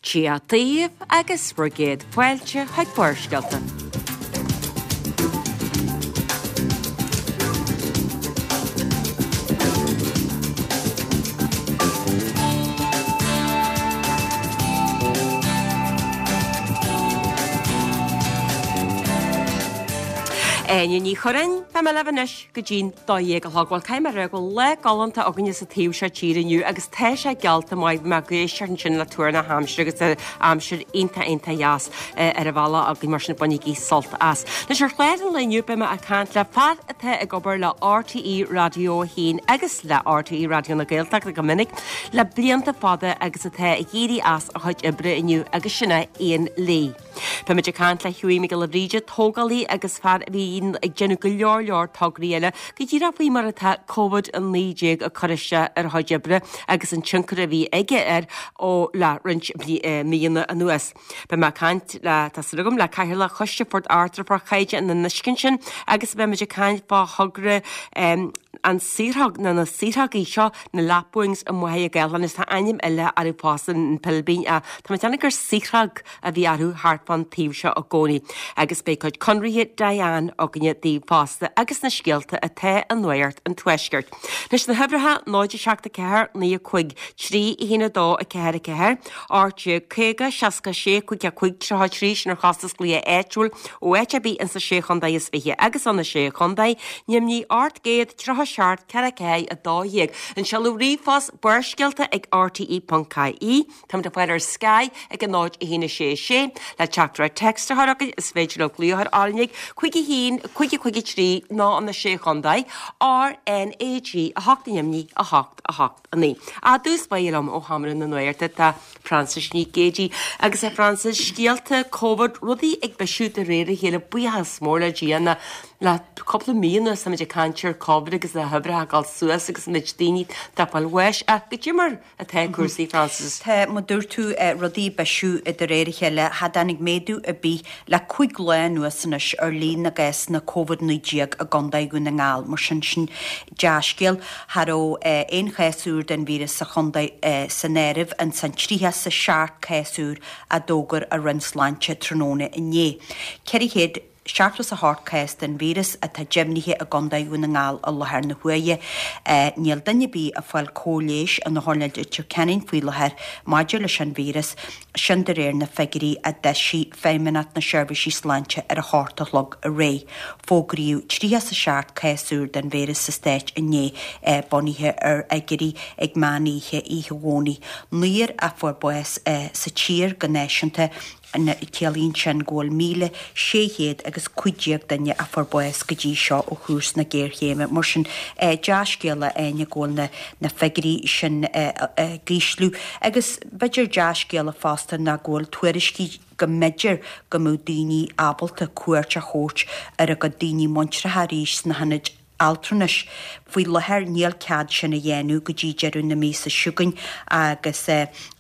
Dia daoibh agus bhur gcéad fáilte chuig Barrscéalta. Áine Ní Churráin, beidh mé libh anois go dtí'n 12 a chlog. Bhuel, caithfidh mé a rá go bhfuil lá galánta againne sa taobh seo tíre inniu agus tá sé geallta maith. Bhí mé ag éisteacht ansin le tuar na haimsire agus tá aimsir iontach iontach dheas ar an bhealach againn mar sin bainigí sult as. Anois ar chlár an lae inniu beidh mé ag caint le fear atá ag obair le RTÉ Raidió 1 agus le RTÉ Raidió na Gaeltachta go minic le blianta fada agus atá ag éirí as a chuid oibre inniu agus sin é Ian Lee. Beimid ag caint le Hughie Mac Giolla Bhríde, tógálaí agus fear a bhíonn ag déanamh go leor leor tograí eile, go díreach faoi mar atá Covid-19 ag cur isteach ar a chuid oibre agus an tionchar a bhí aige air ó le roinnt míonna anuas. Beidh mé ag caint le, tá súil agam, le Cathaoirleach Choiste Phort Arthur fá chaighdeán an uisce ansin agus beimid ag caint fá thogra an saorthóg, nó na saorthógaí seo, na lapwings i Machaire Gathlán agus tá ainm eile orthu fosta, an pilbín, ach tá mé ag déanamh gur saorthóg a bhí orthu thart fán taobh seo i gcónaí agus beidh cuid conraithe Diane againne daoibh fosta agus na scéalta atá i Nuacht an Tuaiscirt. Anois na huimhreacha 0 7 4 9 5 3 1 2 4 4 18 50 66 5 5 33 sin ar chostas glaoch áitiúil ó áit ar bith ins na Sé Chontae is Fiche agus ó na Sé Chontae, Nimhní 837 4 4 12. An seoladh ríomhphost barrscéalta ag rte.ie. Táimid le fáil ar Sky ag 0 1 6 6 le teachtaireacht text a chur chugainn is féidir libh glaoch ar RnaG 5 1 5 5 3 nó an 6 Chontae RnaG 8 Nimhní 8 8 9. I dtús báire liom ó Sheomra na Nuachta tá Frances Nic Géadaigh agus a Frances, scéalta Covid, rudaí ag bisiú de réir a chéile, buíochas mór le Dia na le cúpla mí anuas táimid ag caint ar Covid agus na huimhreacha ag dul suas agus an méid daoine atá ag fáil bháis ach goidé mar atá cúrsaí, Frances? Tá, mar dúirt tú, rudaí ag bisiú de réir a chéile. Cha dtáinig méadú ar bith le 5 lá anuas anois ar líon na gcásanna Covid-19 i gContae Dhún na nGall. Mar sin, sin dea-scéal. Cha raibh aon chás úr den víreas sa chontae san áireamh ins an 37 cás úr a d'fhógair an Roinn Sláinte tráthnóna inné. 400. 78 cás den víreas atá deimhnithe i gContae Dhún na nGall i láthair na huaire. Níl duine ar bith ag fáil cóir leighis in Otharlann Leitir Ceanainn faoi láthair maidir leis an víreas, sin de réir na figiúirí a d'eisigh Feidhmeannacht na Seirbhísí Sláinte ar a hocht a chlog aréir. Fógraíodh 37 cás úr den víreas sa stát inné, bunaithe ar fhigiúirí ag meán oíche oíche Dhomhnaigh. Naoir a fuair bás sa tír go náisiúnta. Ciallaíonn sin go bhfuil 1,600 agus 15 duine a fuair bás go dtí seo ó thús na géarchéime. Mar sin, dea-scéala, a Áine, go bhfuil na figiúirí sin ag ísliú. Agus b'fhéidir dea-scéala fosta ná go bhfuil tuairiscí go mb'fhéidir go mbeadh daoine ábalta cuairt a thabhairt ar a gcuid daoine muintreacha arís sna hionaid altranais. Faoi láthair níl cead sin a dhéanamh go dtí deireadh na míosa seo chugainn agus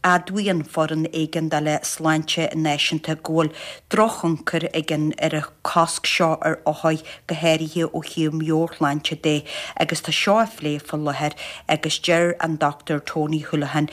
admhaíonn Foireann Éigeandála Sláinte Náisiúnta go bhfuil drochthionchar ag an ar an chosc seo ar othair, go háirithe ó thaobh meabhairshláinte de agus tá seo á phlé faoi láthair agus deir an Dr Tony Holohan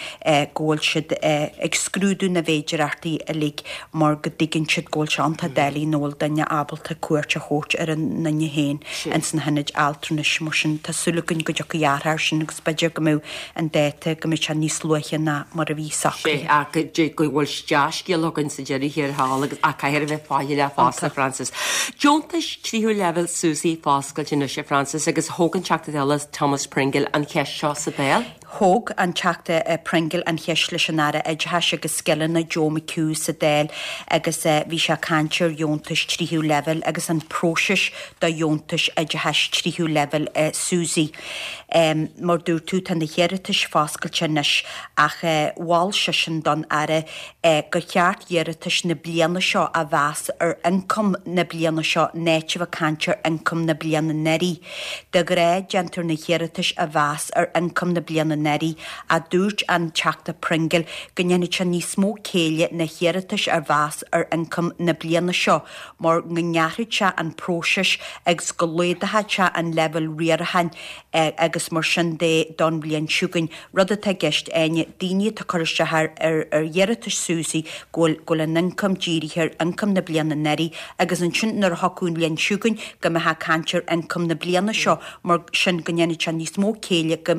go bhfuil siad ag scrúdú na bhféidearthachtaí uilig mar go dtuigeann siad go bhfuil sé iontach doiligh nach bhfuil duine ábalta cuairt a thabhairt ar a nduine féin ins na hionaid altranais. Mar sin, tá súil againn go dtiocfaidh athrú air sin agus b'fhéidir go mbeadh an dáta, go mbeidh sé níos luaithe ná mar a bhí socraithe. Sea, ach go bhfuil dea-scéal againn sa deireadh thiar thall agus ach caithfear a bheith faichilleach fosta, Frances. Deontais tríú leibhéal SUSI foscailte anois, a Frances, agus thóg an Teachta Dála Thomas Pringle an cheist seo sa Dáil. Thóg an Teachta Pringle an cheist leis an Aire Oideachais agus Scileanna Joe McHugh sa Dáil agus bhí sé ag caint ar dheontais tríú leibhéal agus an próiseas do dheontais oideachais tríú leibhéal SUSI. Mar dúirt tú, tá na hiarratais foscailte anois ach mhol seisean don Aire gur cheart iarratais na bliana seo a mheas ar ioncam na bliana seo in áit a bheith ag caint ar ioncam na bliana anuraidh. De ghnáth déantar na hiarratais a mheas ar ioncam na bliana. anuraidh ach dúirt an Teachta Pringle go ndéanfadh sé níos mó céille na hiarratais a mheas ar ioncam na bliana seo mar go ngearrfadh sé an próiseas agus go laghdódh sé an leibhéal riaracháin agus mar sin de don bhliain seo chugainn. Rud atá i gceist, Áine, daoine atá ag cur isteach ar ar iarratais SUSI go bhfuil go bhfuil an ioncam dírithe ar ioncam na bliana anuraidh agus ansin nuair a thiocfadh an bhliain seo chugainn go mbeifeá ag caint ar ioncam na bliana seo mar sin go ndéanfadh sé níos mó céille go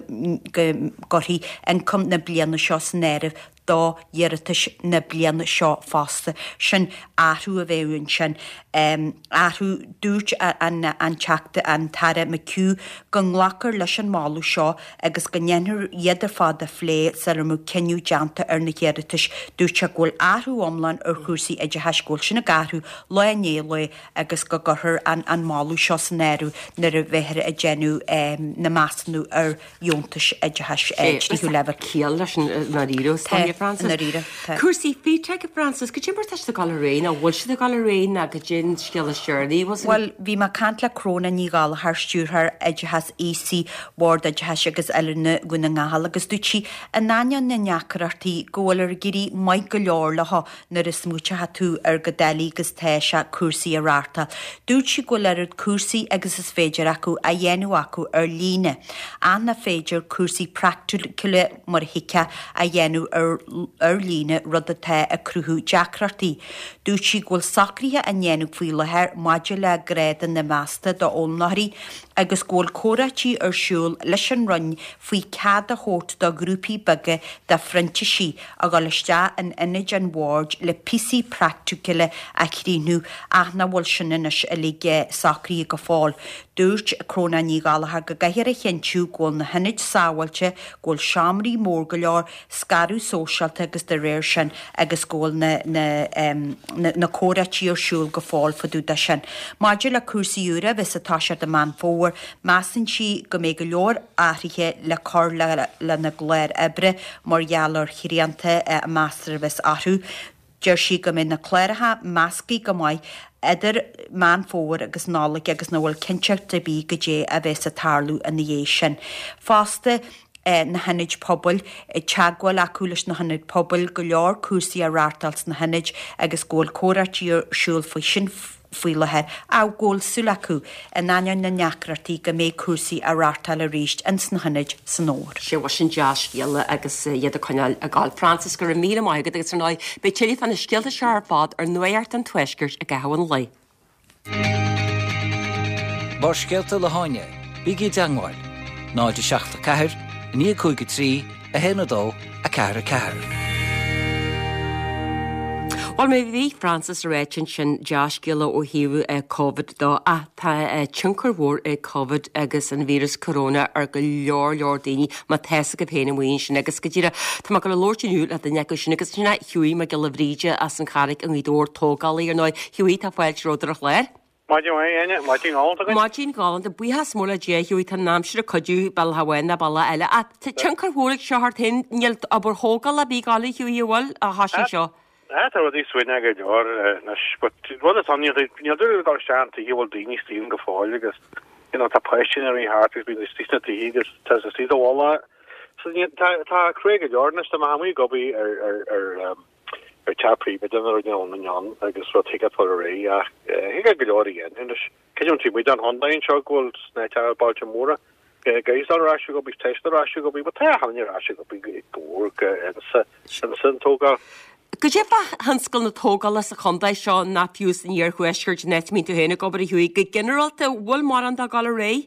go gcuirfí ioncam na bliana seo san áireamh do iarratais na bliana seo fosta. Sin athrú a bheadh ansin. Athrú, dúirt an an Teachta, an tAire McHugh go nglacfar leis an moladh seo agus go ndéanfar iad ar fad a phlé sula mbeadh cinneadh déanta ar na hiarratais. Dúirt sé go bhfuil athrú iomlán ar chúrsaí oideachais, go bhfuil sin ag athrú lá i ndiaidh lae agus go gcuirfear an an moladh seo san áireamh nuair a bheifear ag déanamh na measúnú ar dheontais oideachais tríú leibhéal. Ciall leis an ndáiríre, Tá, Sonia Francis. i ndáiríre, tá. Cúrsaí FETAC, a Francis, cad é mar tá siad ag dul ar aghaidh, nó bhfuil siad ag dul ar aghaidh, nó cad é an scéal is deireanaí, bhfuil Bhuel, bhí mé ag caint le Cróna Ní Ghallchóir, Stiúrthóir Oideachais Aosaigh Bhord Oideachais agus Oiliúna Dhún na nGall agus dúirt sí, in ainneoin na ndeacrachtaí, go bhfuil ag éirí maith go leor leo nuair a smaoiteoidh tú ar chomh doiligh agus tá sé cúrsaí a reáchtáil. Dúirt sí go bhfuil oiread cúrsaí agus is féidir acu á dhéanamh acu ar líne, ach nach féidir cúrsaí praiticiúla mar a thuigfeá a dhéanamh ar líne, rud atá ag cruthú deacrachtaí. Dúirt sí go bhfuil socruithe á ndéanamh faoi láthair maidir le grádanna measta d'fhoghlaimeoirí agus go bhfuil comhráití ar siúl leis an Roinn faoi cead a thabhairt do ghrúpaí beaga de phrintísigh a dhul isteach in ionaid an bhoird le píosaí praiticiúla a chríochnú ach nach bhfuil sin anois uilig socraithe go fóill. Dúirt Cróna Ní Ghallchóir go gcaithfear a chinntiú go bhfuil na hionaid sábháilte, go bhfuil seomraí mór go leor, scaradh sóisialta agus dá réir sin agus go bhfuil na na na comhráití ar siúl go fóill fá dtaobh de sin. Maidir le cúrsaí úra a bheas ag toiseacht i Meán Fómhair, measann sí go mbeidh go leor athruithe le cur lena gclár oibre mar gheall ar shrianta a meastar a bheas orthu. Deir sí go mbeidh na cláracha measctha go maith idir Meán Fómhair agus Nollaig agus nach bhfuil cinnteacht ar bith goidé a bheas ag tarlú ina dhiaidh sin. Fosta, na hionaid pobail, teagmháil acu leis na hionaid pobail, go leor cúrsaí á reáchtáil sna hionaid agus go bhfuil comhráití ar siúl faoi sin faoi láthair ach go bhfuil súil acu, in ainneoin na ndeacrachtaí, go mbeidh cúrsaí á reáchtáil arís ins na hionaid san fhómhar. Sea, bhuel sin dea-scéala agus iad ag coinneáil ag gabháil. Frances, go raibh míle maith agat agus ar ndóigh beidh tuilleadh fá na scéalta seo ar fad ar Nuacht an Tuaiscirt i gcaitheamh an lae. Barrscéalta le hÁine, bígí i dteangmháil, 0 7 4 9 5 3 1 2 4 4. Bhuel, mar a bhí Frances ag ráit ansin, dea-scéala ó thaobh Covid dó, ach tá tionchar mhór ag Covid agus an víreas corona ar go leor leor daoine, má tá fhios agaibh féin amuigh ansin agus go díreach tá mé ag dul a labhairt inniu le duine acu sin agus sin é Hughie Mac Giolla Bhríde as an Charraic i nGaoth Dobhair, tógálaí ar ndóigh. Hughie, tá fáilte romhat ar an chlár. Maidin mhaith, a Áine. Maidin ghalánta againn. Maidin ghalánta. Buíochas mór le Dia, Hughie, tá an aimsir ag cuidiú bealach amháin nó bealach eile. Ach tá tionchar mhór ag seo ort féin. Níl obair thógála ar bith ag gabháil, a Hughie, an bhfuil, ó thoisigh seo? Ah, tá rudaí suaimhneach go leor anois, but rud atá ann, níl níl duine ag dul isteach in tithe a bhfuil daoine istigh ann go fóill agus, you know, tá páistí ina rith thart agus bíonn istigh sna tithe agus tá siad istigh i do mhullach. So níl, tá, tá crua go leor anois, tá mé amuigh ag obair ar, ar, ar, um, ar teach príobháideach nuair a bhí an ann agus rud thig leat fáil ar aghaidh ach thig leat go leor a dhéanamh anois. Creidim taobh amuigh den chontae anseo go bhfuil sna bailte móra guys ar ais ag obair, tá siad ar ais ag obair, but tá achan duine ar ais ag obair go mór go insa insa an tógáil. Goidé fá thionscal na tógála sa chontae seo ná fiú san iarthuaisceart an áit a mbíonn tú féin ag obair a Hughie, go ginearálta, bhfuil mórán dó ag dul ar aghaidh?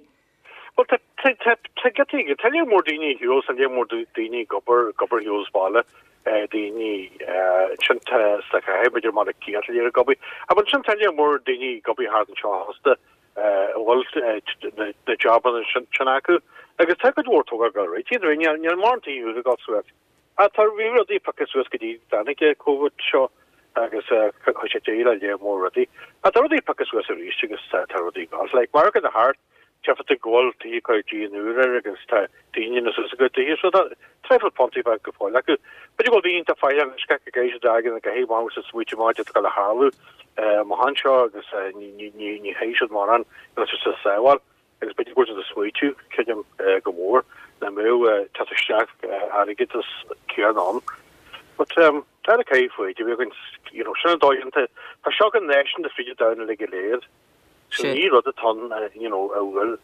Bhuel, tá, tá, tá, tá giotaí, tá lear mór daoine ar shiúl, tá lear mór daoine ag obair, ag obair ar shiúl as baile, daoine, ansin tá sa chathair, b'fhéidir mar a chéad lear ag obair. Ach ansin tá lear mór daoine ag obair thart anseo fosta, a bhfuil na, na jabanna sin, sin acu. Agus tá cuid mhór tógáil ag dul ar aghaidh. Níl, níl, níl mórán tithe úr ag dul suas. Ach tá, bhí rudaí pioctha suas go dtí dtáinig an Covid seo agus chuir sé deireadh le lear mór rudaí. Ach tá rudaí pioctha suas arís agus tá rudaí ag dul. Like, margadh na thart, tchífeá tú go bhfuil tithe ag cur díon úr air agus tá daoine ina suas a gcuid tithe. So tá traidhfil puntaí beag go fóill acu. B'fhéidir go bhfuil daoine iontach faichilleach anois gach ag éisteacht airgead na gcaithfidh amach agus ag smaoitiú amach cad atá ag dul a tharlú amach anseo agus ní ní ní ní chaithfidh siad mórán, níl siad sa sábháil. Agus b'fhéidir go bhfuil siad ag smaoitiú, creidim, go mór. nach mbeadh teacht isteach airgeadas céanna ann. But tá na caithfidh foighid a bheith againn, you know, sin an dóigh iontu. Tá seo go náisiúnta fríd an domhan uilig go léir. So ní rud atá ann, you know, a bhfuil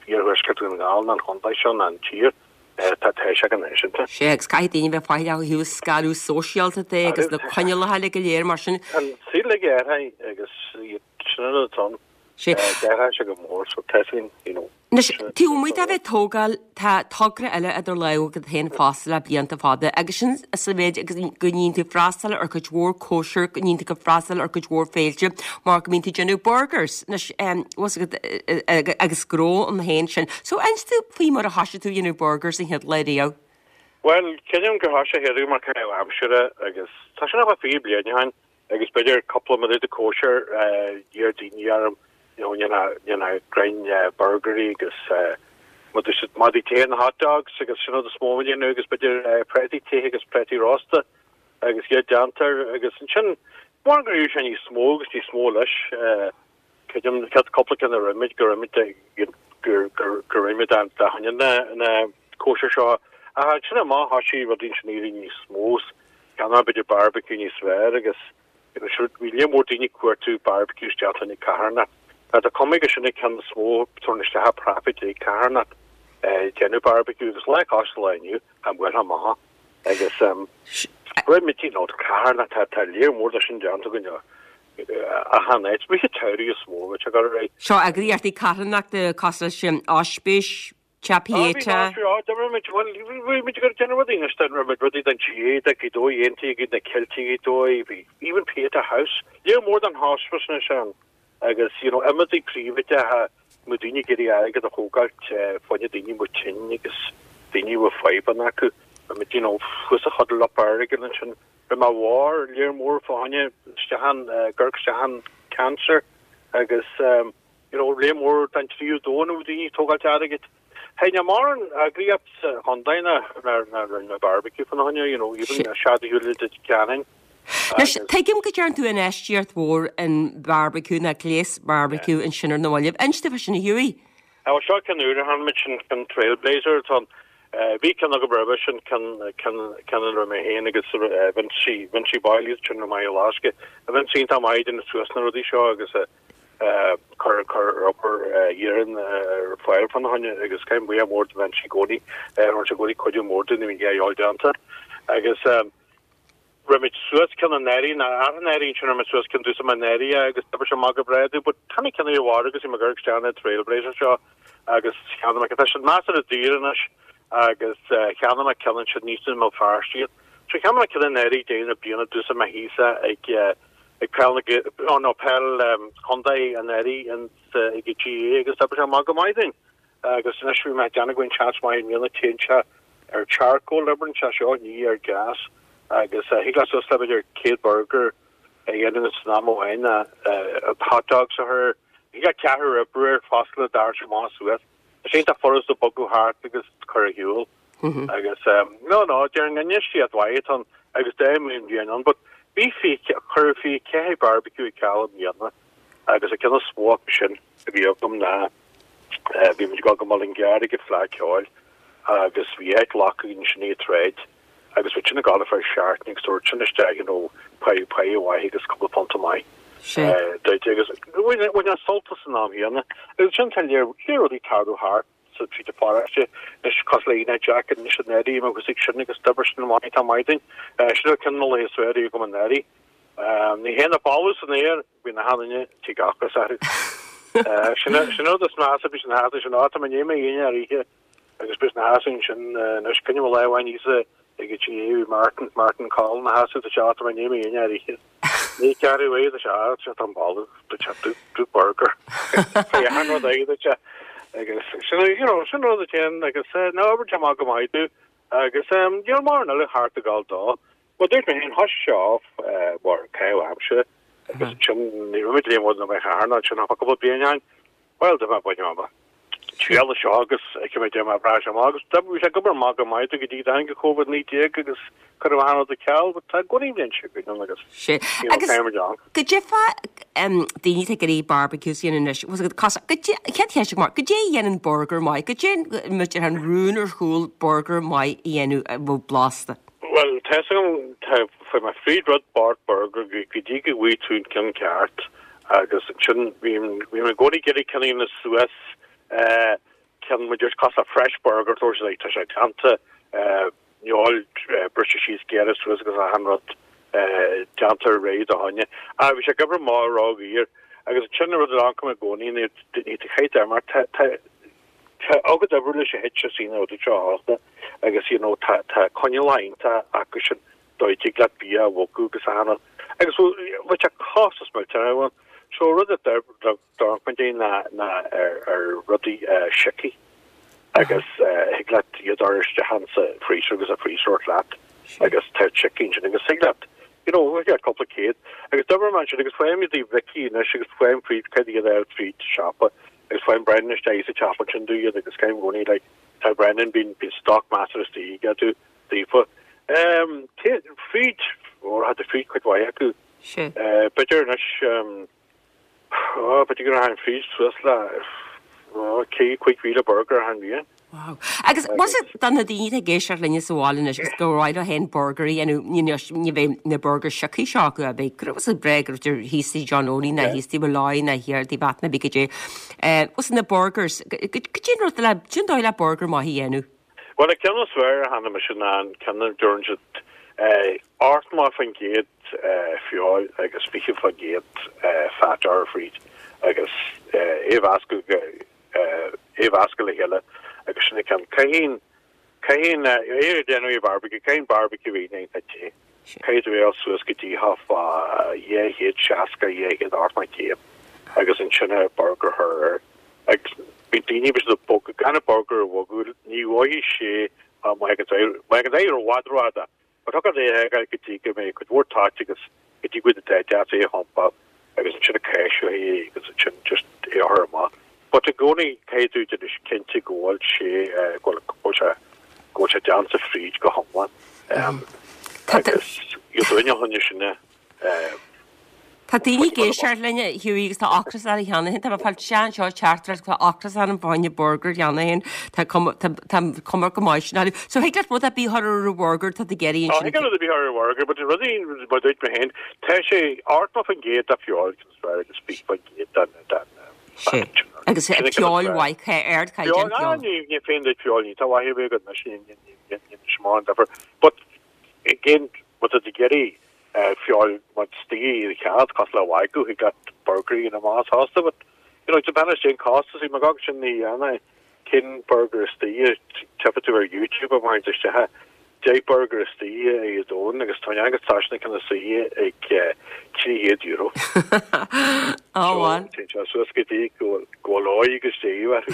iarthuaisceart Dhún na nGall ná an chontae seo ná an tír, tá tá sé go náisiúnta. Sea, agus caithfidh daoine bheith faichilleach ó thaobh scaradh sóisialta de agus na coinníollacha uilig go léir mar sin. An saol uilig athraithe agus sin an rud atá ann. Sea. D'athraigh sé go mór so tá sin, you know. Anois, taobh amuigh de bheith ag tógáil, tá togra eile idir lámha agat féin fosta le blianta fada, agus sin sa mhéid agus go mbíonn tú ag freastal ar cuid mhór cóisir, go mbíonn tú ag freastal ar cuid mhór féilte, mar go mbíonn tú ag déanamh burgers. Anois, bhfuil fhios agat, agus gnó ann féin sin. So, inis dúinn faoi mar a thoisigh tú ag déanamh burgers an chéad lá riamh. Bhuel, creidim gur thoisigh sé mar caitheamh aimsire agus tá sin about 20 bliain ó shin. agus b'fhéidir cúpla mura de cóisir d'iarr daoine orm you know ndéanfá greim burgairí agus madaí te na hot dogs agus sin rud is mó a dhéanamh agus b'fhéidir préataí te agus préataí rósta agus iad déantar agus ansin mar go raibh sé níos mó agus níos mó leis creidim an chéad cúpla ceann a rinne muid go raibh muid gur gur gur rinne muid dá choinne na na cóisir seo ach ansin amach thoisigh rudaí ansin éirí níos mó Cheannaigh b'fhéidir barbecue níos fearr agus you know sure bhí lear mór daoine ag cuartú barbecue isteach in carthanacht. Tá tá cuma gur sin an ceann is mó tabhair isteach profit ag carthanacht eh déanamh barbecue agus lá cois lá inniu tá buartha amach agus um raibh muid you know carthanacht tá tá lear mór de sin déanta againn achan áit. Rith an tsamhraidh is mó bhí sé ag dul ar aghaidh. Seo eagraíochtaí carthanachta cosúil leis an Oispís, Teach Pieta. Bhí muid bhí muid ag déanamh rudaí anois den raibh muid rudaí den GAA de Ghaoth Dobhair dhéantaí ag na Ceiltigh Ghaoth Dobhair bhí even Pieta House lear mór den hospice anois ann agus you know imeachtaí príobháideacha mo daoine ag iarraidh airgead a thógáilt fá choinne daoine mo tinn agus daoine a bhfuil fadhbanna acu bhí muid you know thuas a chodail up airgead ansin bhí mé mhór lear mór fá choinne isteach an gcuirfeadh isteach an cancer agus um, You know, lear mór den tríú domhan ó daoine ag tógáilt airgid. Hey, níl mórán eagraíocht sa chontae ná ná rinne barbecue fána choinne, you know, even Sead Shúile de Ceanainn. Anois, tuigim go dtearn tú infheistíocht mhór in barbecue ná gléas barbecue ansin ar na mallaibh. Inis dúinn fá sin a Hughie. Á, seo ceann úr a cheannaigh muid sin ceann Trailblazer atá ann. Bhí ceann agam roimhe sin, ceann ceann ceann ina raibh mé féin agus Vincie, Vincie Boyle, iad sin maith i Lasca. Vincie iontach maith ag déanamh suas na rudaí seo agus cur cur obair iarainn ar fáil fána choinne agus caithfidh buíochas mór do Vincie i gcónaí rinne sé i gcónaí cuidiú mór dúinn nuair a bhí a dhíobháil déanta agus rinne muid suas ceann anuraidh ná anuraidh ansin rinne muid suas ceann d'úsáid mé anuraidh agus d'oibrigh sé amach go breá dúinn but tá na ceann i bhfad agus bhí mé ag cur isteach na Trailblazer seo agus cheannaigh mé tá siad measartha daor anois agus cheannaigh mé ceann ansin níos i mBéal Feirste iad so cheannaigh mé ceann anuraidh deireadh na bliana d'úsáid mé thíos ag ag peil na oh no peil chontae anuraidh in ag an GAA agus d'oibrigh sé amach go maith dúinn agus anois bhí mé ag déanamh go bhfuil seans maith i mbliana téann sé ar charcoal oibreann sé seo ní ar gas agus thig leat suas le b'fhéidir 100 burger a dhéanamh san am amháin hot dogs a chur thig leat ceathrar oibriú air fosta le d'fhear amach suas. Tá sé iontach furast a bogadh thart agus cur ar shiúl. Agus no, no, déarfainn infheistíocht mhaith atá ann agus d'fheidhm mé an bhliain ann, but bhí cuireadh 24 barbecue ag ceal i mbliana agus an ceann is mó acu sin a bhí agam ná bhí muid ag dul go Mullingar ag an Fleadh Ceoil agus bhí áit glactha againn ansin ag an tsráid agus bhí sin ag gabháil ar feadh seachtaine agus tabhairt sin isteach you know pá pá mhaith agus cúpla punt maith duit agus bhain an sult as san am chéanna agus sin tá lear lear rudaí tarlú thart sa tríd an pharóiste anois cosúil le Aoine Jack anois anuraidh agus ag sin agus d'oibrigh sin amach tá maith dúinn. Sin an ceann na laetha is fearr agam anuraidh. Ní théann an boladh san aer bhí na hanaine tigh ocras orthu. Sin sin rud is measa bhí sin thart sin áit a mé mé aoine ar oíche agus bhí na sheasamh ansin anois coinne lá amháin íosa ag an GAA bhí Martin Martin Collin ina sheasamh tá sé áit a mé mé aoine ar oíche. Ní ceathrú é tá sé á sé tá boladh tá sé do do burger. Tá an rud é tá sé agus sin you know sin rud a téann agus ná obair tá maith go maith tú agus níl mórán eile thart ag gabháil dó. Well dúirt mé féin thoisigh sé off mar caitheamh aimsire agus ansin ní raibh muid léim na mé cheathair ná sin ach cúpla bliain ann. Well, do bheith bain ama. Triail seo agus ag mé déanamh breá sé amach agus bhí sé ag obair amach go maith go dtí tháinig an Covid-19 agus cuireadh achan rud ar ceal but tá i gcónaí bhíonn sé againn ann agus Sé. you know, Agus caithfimid ann. goidé fá daoine atá ag iarraidh barbecues a dhéanamh anois, bhfuil a fhios agat, cos, goidé, chéad cheist agam ort, goidé a dhéanann burger maith, goidé muid ar an rún ar chúl burger maith a dhéanamh a bheadh blasta? Bhuel, tá fhios agam, tá, fuair mé fríd rud bord burger go dtí go bhfaighidh tú an ceann ceart agus ansin bhí bhí mé i gcónaí ag iarraidh ceann a dhéanamh suas eh, ceann mar just cosúil le fresh burger tá sé tá sé déanta eh, feoil eh, briste síos gearrtha suas agus achan rud eh, déanta réidh do dhuine. Ah, bhí sé ag obair maith róghaor agus ansin an rud a d'amharc mé i gcónaí ní ní tá chaith mar tá tá Tá agat oibriú leis an HSE na rudaí seo fosta agus you know tá tá coinníollacha iontach acu sin dóigh dtig leat bia a bhogadh agus achan rud agus bhuel bheadh sé costas millteanach ann. So rud a d'amharc muid ná ná ar ar rudaí sioctha agus thig leat iad a chur isteach insa freezer agus a freezer leat agus tá sioctha ansin agus thig leat you know thig leat cúpla céad agus d'oibir mé ansin agus faighim iad i Vicky anois agus faighim fríd cad iad ar fríd siopa Agus faigheann Brendan isteach sa teach ansin dú iad agus caithim i gcónaí like tá Brendan bíonn bíonn stoc measartha istigh aige dú daofa. Ehm cé fríd ó had fríd cuid mhaith acu. Sé. Eh b'fhéidir anois ehm ó b'fhéidir go raibh fríd suas le ó 5000 burger achan bhliain. Wow. Agus was it do na daoine atá ag éisteacht linne sa bhaile anois agus gur mhaith leo féin burger a dhéanamh, you know, ní bheidh na burgers sioctha seo acu, a bheidh, go raibh breá go raibh thíos tigh John Owley ná thíos tigh Molloy ná thiar tigh Bheatna bhí goidé. Eh, was na burgers, goidé an rud le, cén dóigh le burger maith a dhéanamh? Bhuel, an ceann is fearr a chonaic mise ná an ceann a deireann siad eh, 80% feoil agus 20% fat ar fríd agus eh, é mheascadh go é a mheascadh le chéile agus sin an ceann. Caithfidh, caithfidh, é a dhéanamh i barbecue, caithfidh barbecue a dhéanamh iontach te. Caithfidh tú é a fháil suas go dtí thart fá 260, 280 céim agus ansin an burger a chur air. Agus bíonn daoine bíonn siad ag bogadh, gan an burger a bhogadh, ní mhothaíonn sé má thagann sé, má thagann sé ar i bhfad rófhada. But thug an é go dtí go mbeidh cuid mhór toit agus go dtí go bhfuil an deas é a thumpáil agus ansin a caise é agus ansin just é a chur amach. But i gcónaí caithfidh tú déanamh cinnte go bhfuil sé go bhfuil go bhfuil sé go bhfuil sé déanta fríd go hiomlán. Agus you duine a choinne sin Tá daoine ag éisteacht linn, a Hughie, agus tá ocras orthu cheana féin. Tá mé ag fáil sean seo teachtaireacht tá ocras orm fá choinne burger cheana féin. Tá cuma tá tá cuma go maith sin orthu. So thig leat rud ar bith a chur ar an bhurger tá tú ag iarraidh Tá ansin. thig rud ar bith a chur ar an bhurger, but rudaí mar dúirt mé féin, tá sé 80% de feoil is fearr agus 20% den den Sé. Agus Sin an ceann is feoil fearr. mhaith, ardchaighdeán Feoil, ah, feoil. ní ní féin duit feoil, ní tá mhaith ar bith agat anois, ní ní ní ní ní smán difear. But again, má tá tú ag iarraidh feoil mar istigh i do chead, cosúil le wagyu, thig leat burger a dhéanamh amach fosta, but you know, depend ar cén costas, bhí mé ag sin ní dhéanamh, cén burger istigh, tiocfaidh tú ar YouTube a bhaint isteach, 10 burger istigh i dtóin agus tá agus tá sin ceann istigh ag €300. Á bhuel. Téann sé suas go dtí go bhfuil óig agus déidh orthu.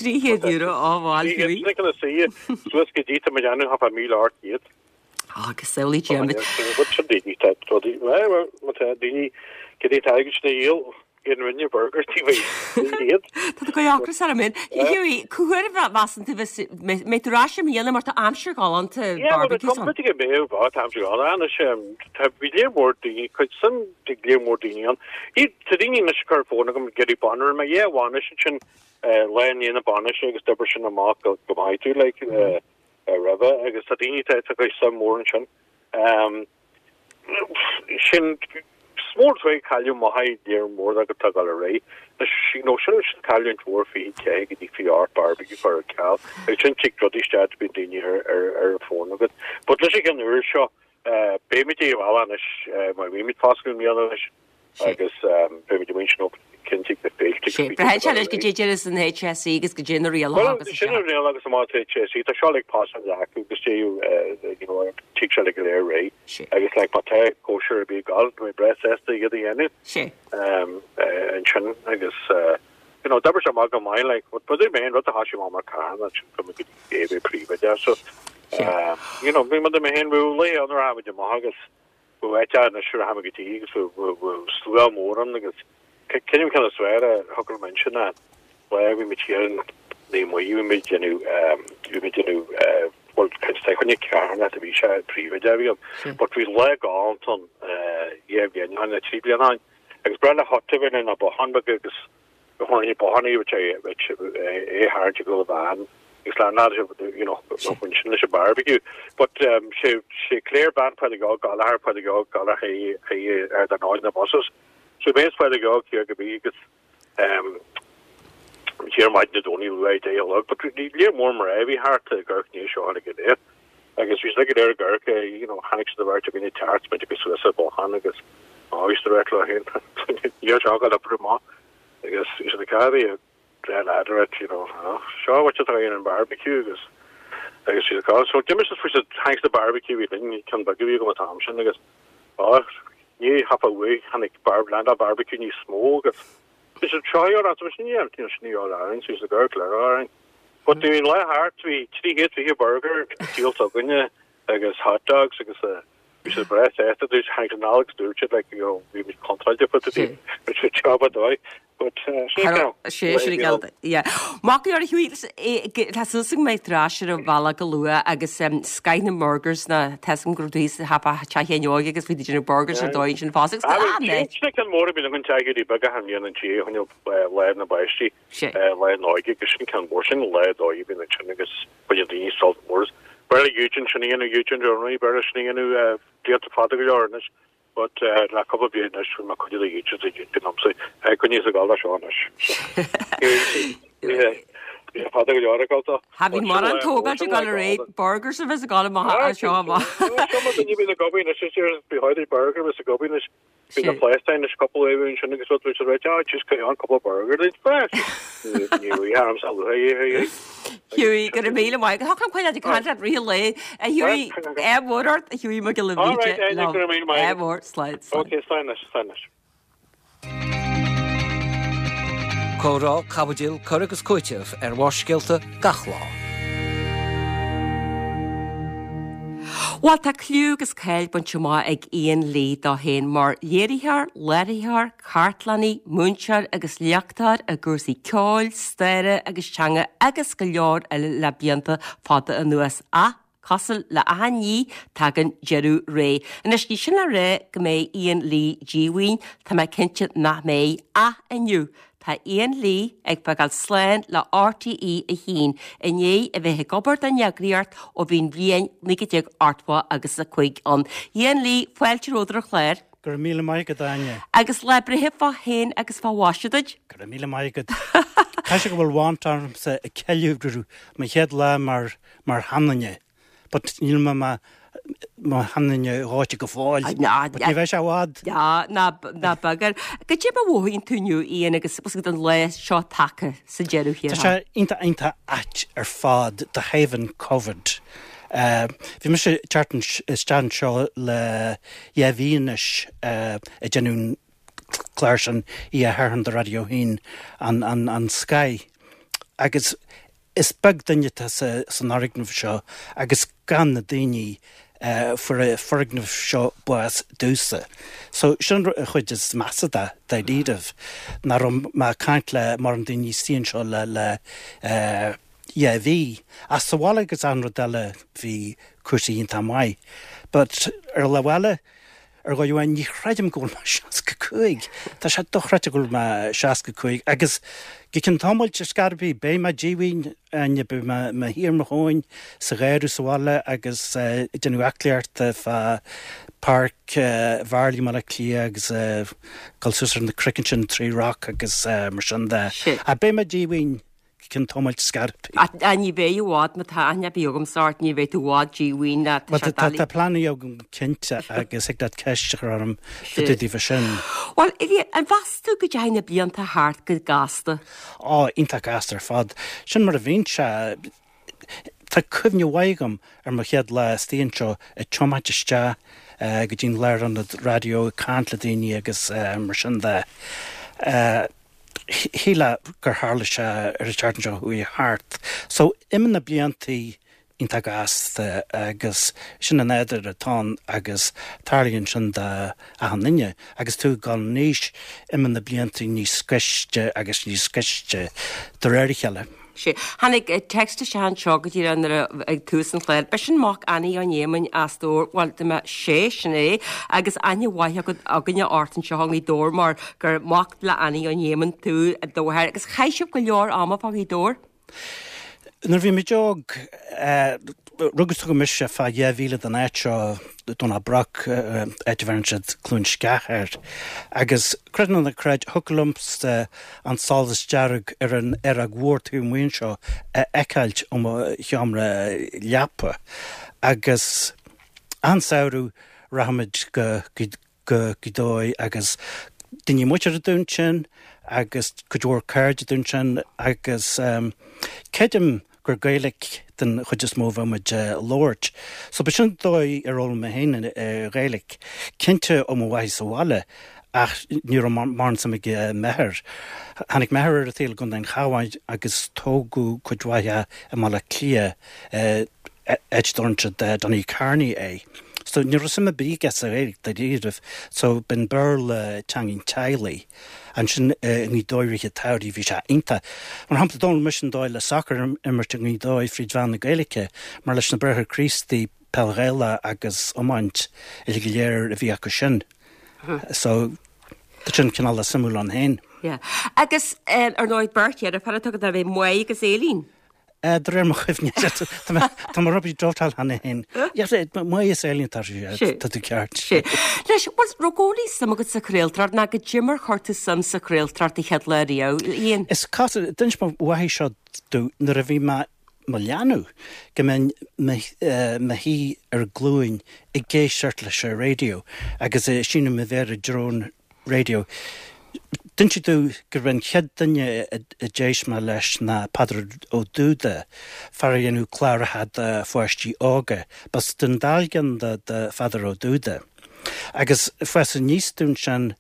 €300, á bhuel. 300 sin ceann istigh suas go dtí tá mé déanamh thart fá 1,800. Agus samhlaigh Diarmuid. Sin daoine tá rudaí má tá daoine go dtí tá agus na dhíol in rinne burger TV iad. Tá tú ag ocras orm féin. Hughie, cá huair a mheasann tú bheas mbeidh tú ar ais i mbliana mar tá aimsir ghalánta barbecue ann. B'fhéidir go mbeidh bá tá aimsir ghalánta anois tá bhí léar mór daoine cuid suim de léar mór daoine ann. Iad tá daoine anois ag cur fón agam ag iarraidh bainne mé yeah bhainis ansin lá i ndiaidh na bainise agus d'oibir sin amach go maith tú like roimhe agus tá daoine tá tá cuid suim mhór ansin. Sin is mór an trua cailleadh maith léar mór agat tá ag dul ar aghaidh. Anois you know sin sin cailliúint mhór 24 go dtí 28 barbecue cur ar ceal agus sin tig rudaí isteach bíonn daoine ar ar ar an bhfón agat. But leis an gceann úr seo beimid ag bhaile anois mar bhímid foscadh i mbliana anois. agus beimid ag baint nó cinntigh na féilte Sé, braitheann sé leis goidé deireas an HSE agus goidé na rialacha agus Sin an riail agus amach HSE, tá seo like pasáil acu agus dé you know tig sé le go léir réidh agus like má tá cóisir ar bith ag gabháil, tá mé breá sásta iad a dhéanamh Sé. ansin agus you know d'oibrigh sé amach go maith like but but mé an rud a thosaigh amach mar carthann ansin go mbeidh go dtí príomhoide so you know bhí mé féin bhí laethe ann a raibh muid amach agus Bhí áit ann anois a rachaimid go dtí agus bhí slua mór ann agus cinneadh ceann is fearr a thug orm ansin ná. Lá bhí muid thiar in Naomh Muire, bhí muid ag déanamh, bhí muid ag déanamh, bhuel, caint fá choinne carthanacht a bhí sé, príomhoide a bhí ann. But bhí lá galánta ann, dhá bhliain ó shin, nó trí bliana ó shin, agus ba bhreá le hot a bheith ann, ná bothán beag agus tháinig bothán é é tharraingt ag dul i bhfean agus le ná you know bhain sin leis an barbecue. But sé sé Claire bean Phádraig Óg Gallagher Pádraig Óg Gallagher ar the na buses. So bhí Pádraig Óg thiar go bí agus thiar maidin Dé Domhnaigh luath 10 a chlog, but bhí léar mór mná a bhí thart i gCorca Dhuibhne seo tháinig go léir. Agus bhí siad go léir i gCorca, you know, tháinig siad a bheirt againne teacht, muid agus suas ar bothán agus á bhí siad a bheirt leo féin. Níor seo go oibriú amach agus bhí siad ag caitheamh a dre ladder at, you know, seo what you throw in barbecue agus agus bhí siad ag so d'imigh siad faoi siad thanks the barbecue bhí linn ceann beag a bhí agam an t-am sin agus á ní hapa uaidh tháinig barb land barbecue níos mó agus bhí siad seo ar an sin ní sin ní ar an so the girl Claire ar But bhí an lá thart bhí 320 burger díolta againne agus hot dogs agus bhí siad breá sásta dúirt tháinig an Alex dúirt siad like you know bhí muid contráilte fá dtaobh bhí siad job a dóigh but sin é Sé sin ag yeah. Maith go leor a Hughie tá súil agam go mbeidh tú ar ais ar an bhealach go luath agus scoth na mburgers na tá 'fhios agam go raibh tú thíos sa teach Sheáin Óig agus bhí tú ag déanamh burgers ar dóigh ansin fosta agus ah mate. Sin ceann mór a bhí an teach Hughie beag achan bhliain an tí a choinneáil lá na bpáistí. Lá na hÓige agus sin ceann mór sin lá dóigh a bhíonn ansin agus baineann daoine sult mór as. B'fhearr le Eugene sin a dhéanamh, Eugene Donnelly, b'fhearr leis sin a dhéanamh blianta fada go leor anois but le cúpla bliain anois bhí mé cuid de Eugene sa Eugene liomsa coinníos ag dul leis seo anois. Bhí sé fada go leor ag dul dó. Tha bhí mórán tógáilt ag dul ar aghaidh, burgers a bheas ag dul amach as seo amach. Seo mar duine a bhíonn ag obair anois is bhí burger a bheas ag obair anois. Bhí na pléascáin anois cúpla uair ansin agus rud bhí siad ráite, ah just carry on cúpla burger duit freisin. Ní raibh orm sa luath é. Hughie, go raibh míle maith agat. Thá chun coinneáil ag caint leat rith an lae. A Hughie, ádh mór ort, a Hughie Mac Giolla Bhríde. All right, Áine, go raibh míle maith agat. Ádh mór, slán, slán. Ok, slán anois, slán anois. Comhrá, caibidil, cur agus cúiteamh ar Bharrscéalta gach lá. Bhuel, tá cliú agus cáil bainte amach ag Ian Lee dó féin mar léiritheoir, láithreoir, cartlannaí, múinteoir agus léachtóir i gcúrsaí ceoil, staire agus teanga agus go leor eile le blianta fada anuas. Ach, cosúil le achan ní, tagann deireadh ré. Anois, ní sin le rá go mbeidh Ian Lee díomhaoin, tá mé cinnte nach mbeidh. Ach inniu, Tá Ian Lee ag fágáil slán le RTÉ 1 i ndiaidh a bheith ag obair don eagraíocht ó bhí an bhliain 1980 agus 5 ann. Ian Lee, fáilte romhat ar an chlár. Go raibh míle maith agat, Áine. Agus lá breithe fá shéan agus fá mhaise duit. Go raibh míle maith agat. Caithfidh sé go bhfuil want ormsa ag ceiliúradh mo chéad lá mar mar sheanduine. But níl mé mo mo sheanduine dhóite go fóill. But ní bheidh sé i bhfad. Ná ná bagair. Goidé mar a mhothaíonn tú inniu, Ian, agus bhfuil an lá seo tagtha sa deireadh thiar Tá sé iontach iontach ait ar fad de thaobh an Covid. Bhí mise ag teacht isteach anseo le dhá mhí anois ag déanamh an clár sin Oíche Shathairn do Raidió 1 an an an Sky agus Is beag duine atá san fhoirgneamh seo agus gan na daoine a fuair an foirgneamh seo bás domhsa. So sin an chuid is measa de, dáiríribh, nach raibh mé ag caint le mórán daoine istigh anseo le le dhá mhí. Ach sa bhaile agus achan rud eile bhí cúrsaí iontach maith. But ar an lámh eile, Ar dhóigh amháin, ní chreidim go bhfuil mé 65. Tá sé dochreidte go bhfuil mé 65 agus go ceann tamaill ar scor ar bith, beidh mé díomhaoin, Áine, beidh mé i mo shuí ar mo thóin sa gharradh sa bhaile agus ag déanamh aclaíochta fá Páirc Mharlaí i mBaile Átha Cliath agus dul suas ar na cnoic ansin, Tree Rock agus mar sin de. Ach beidh mé díomhaoin. Cionn tamaill scor ar bith. Ach ní bheidh i bhfad, má tá aithne ar bith agamsa ort, ní bheidh tú i bhfad díomhaoin ná tá sé doiligh. Tá pleananna agam cinnte agus thig leat ceist a chur orm fá dtaobh de sin. Bhuel, an mheas tú go dteachaigh na blianta thart go gasta? Á, iontach gasta ar fad. Sin mar a bhíonn sé. Tá cuimhne mhaith agam ar mo chéad lá istigh anseo ag tiomáint isteach go dtí an lárionad raidió ag caint le daoine agus mar sin de. Shílfeá gur tharla sé ar an tseachtain seo chuaigh thart. So, imíonn na bliantaí. iontach gasta agus sin an nádúr atá ann agus tarlaíonn sin d'achan duine agus tú ag dul in aois, imíonn na blianta níos gaiste agus níos gaiste de réir a chéile. Sea. Tháinig text isteach anseo go díreach nuair a ag tús an chláir. B'shin mac Annie Ó Néamáin as Dobhar, bhuel, dá mbeadh sé, sin é, agus aithne mhaith agat againne ort anseo i nGaoth Dobhair mar gur mac le Annie Ó Néamáin tú do mháthair agus chaith sibh go leor ama fá Ghaoth Dobhair. Nuair a bhí muid óg, rugadh is tógadh mise fá dheich mhíle den áit seo, Domhnach Broc, áit a bheireann siad Cluain Sceach air. Agus creid nó ná creid, thiocfadh liomsa an solas dearg ar an aeróg mhór taobh amuigh anseo a fheiceáilt ó mo sheomra leapa. Agus achan samhradh rachadh muid go go Gaoth Dobhair agus daoine muinteartha dúinn ansin agus cuid mhór cairde dúinn ansin agus creidim gur Gaeilic den chuid is mó a bheadh muid a labhairt. So b'shin an dóigh ar fhoghlaim mé féin an Ghaeilic. Cinnte ó mo mháthair sa bhaile ach ní raibh mórán suim ag m'athair. Tháinig m'athair ar an tsaol i gContae an Chabháin agus tógadh cuid mhaith dhe i mBaile Átha Cliath áit a dtabharann siad Donnycarney é. So ní raibh suim ar bith aige sa Ghaeilge dáiríribh. So b'in Béarla teanga an teaghlaigh. Ansin i nGaoth Dobhair i rith an tsamhraidh bhí sé iontach. Mar shampla d'fhoghlaim mise an dóigh le sacar a imirt i nGaoth Dobhair fríd mheán na Gaeilge mar leis na Bráithre Críostaí peil Ghaelach agus iomáint uilig go léir a bhí acu sin. So tá sin cineál suimiúil ann féin. Yeah. Agus ar ndóigh beirt dheirfiúr atá agat, ab é Máire agus Aileen? De réir mo chuimhne, tá mo rubaí dóiteáil cheana féin. Máire is Aileen tá tá tú ceart. Anois, bhuel, raibh i gcónaí suim agat sa chraoltóireacht nó goidé mar chuir tú suim sa chraoltóireacht an chéad lá riamh, Ian? Is cosúil, d'inis mo mháthair seo domh nuair a bhí mé mo leanbh go mbeinn mo shuí ar glúin ag éisteacht leis an raidió agus ag síneadh mo mhéar i dtreo an raidió. D'inis sí domh gurb é an chéad duine a d'éist mé leis ná Peadar Ó Dúda, fear a dhéanadh cláracha do pháistí óga. B'as Dún Dealgan do Pheadar Ó Dúda. Agus fás aníos domh ansin,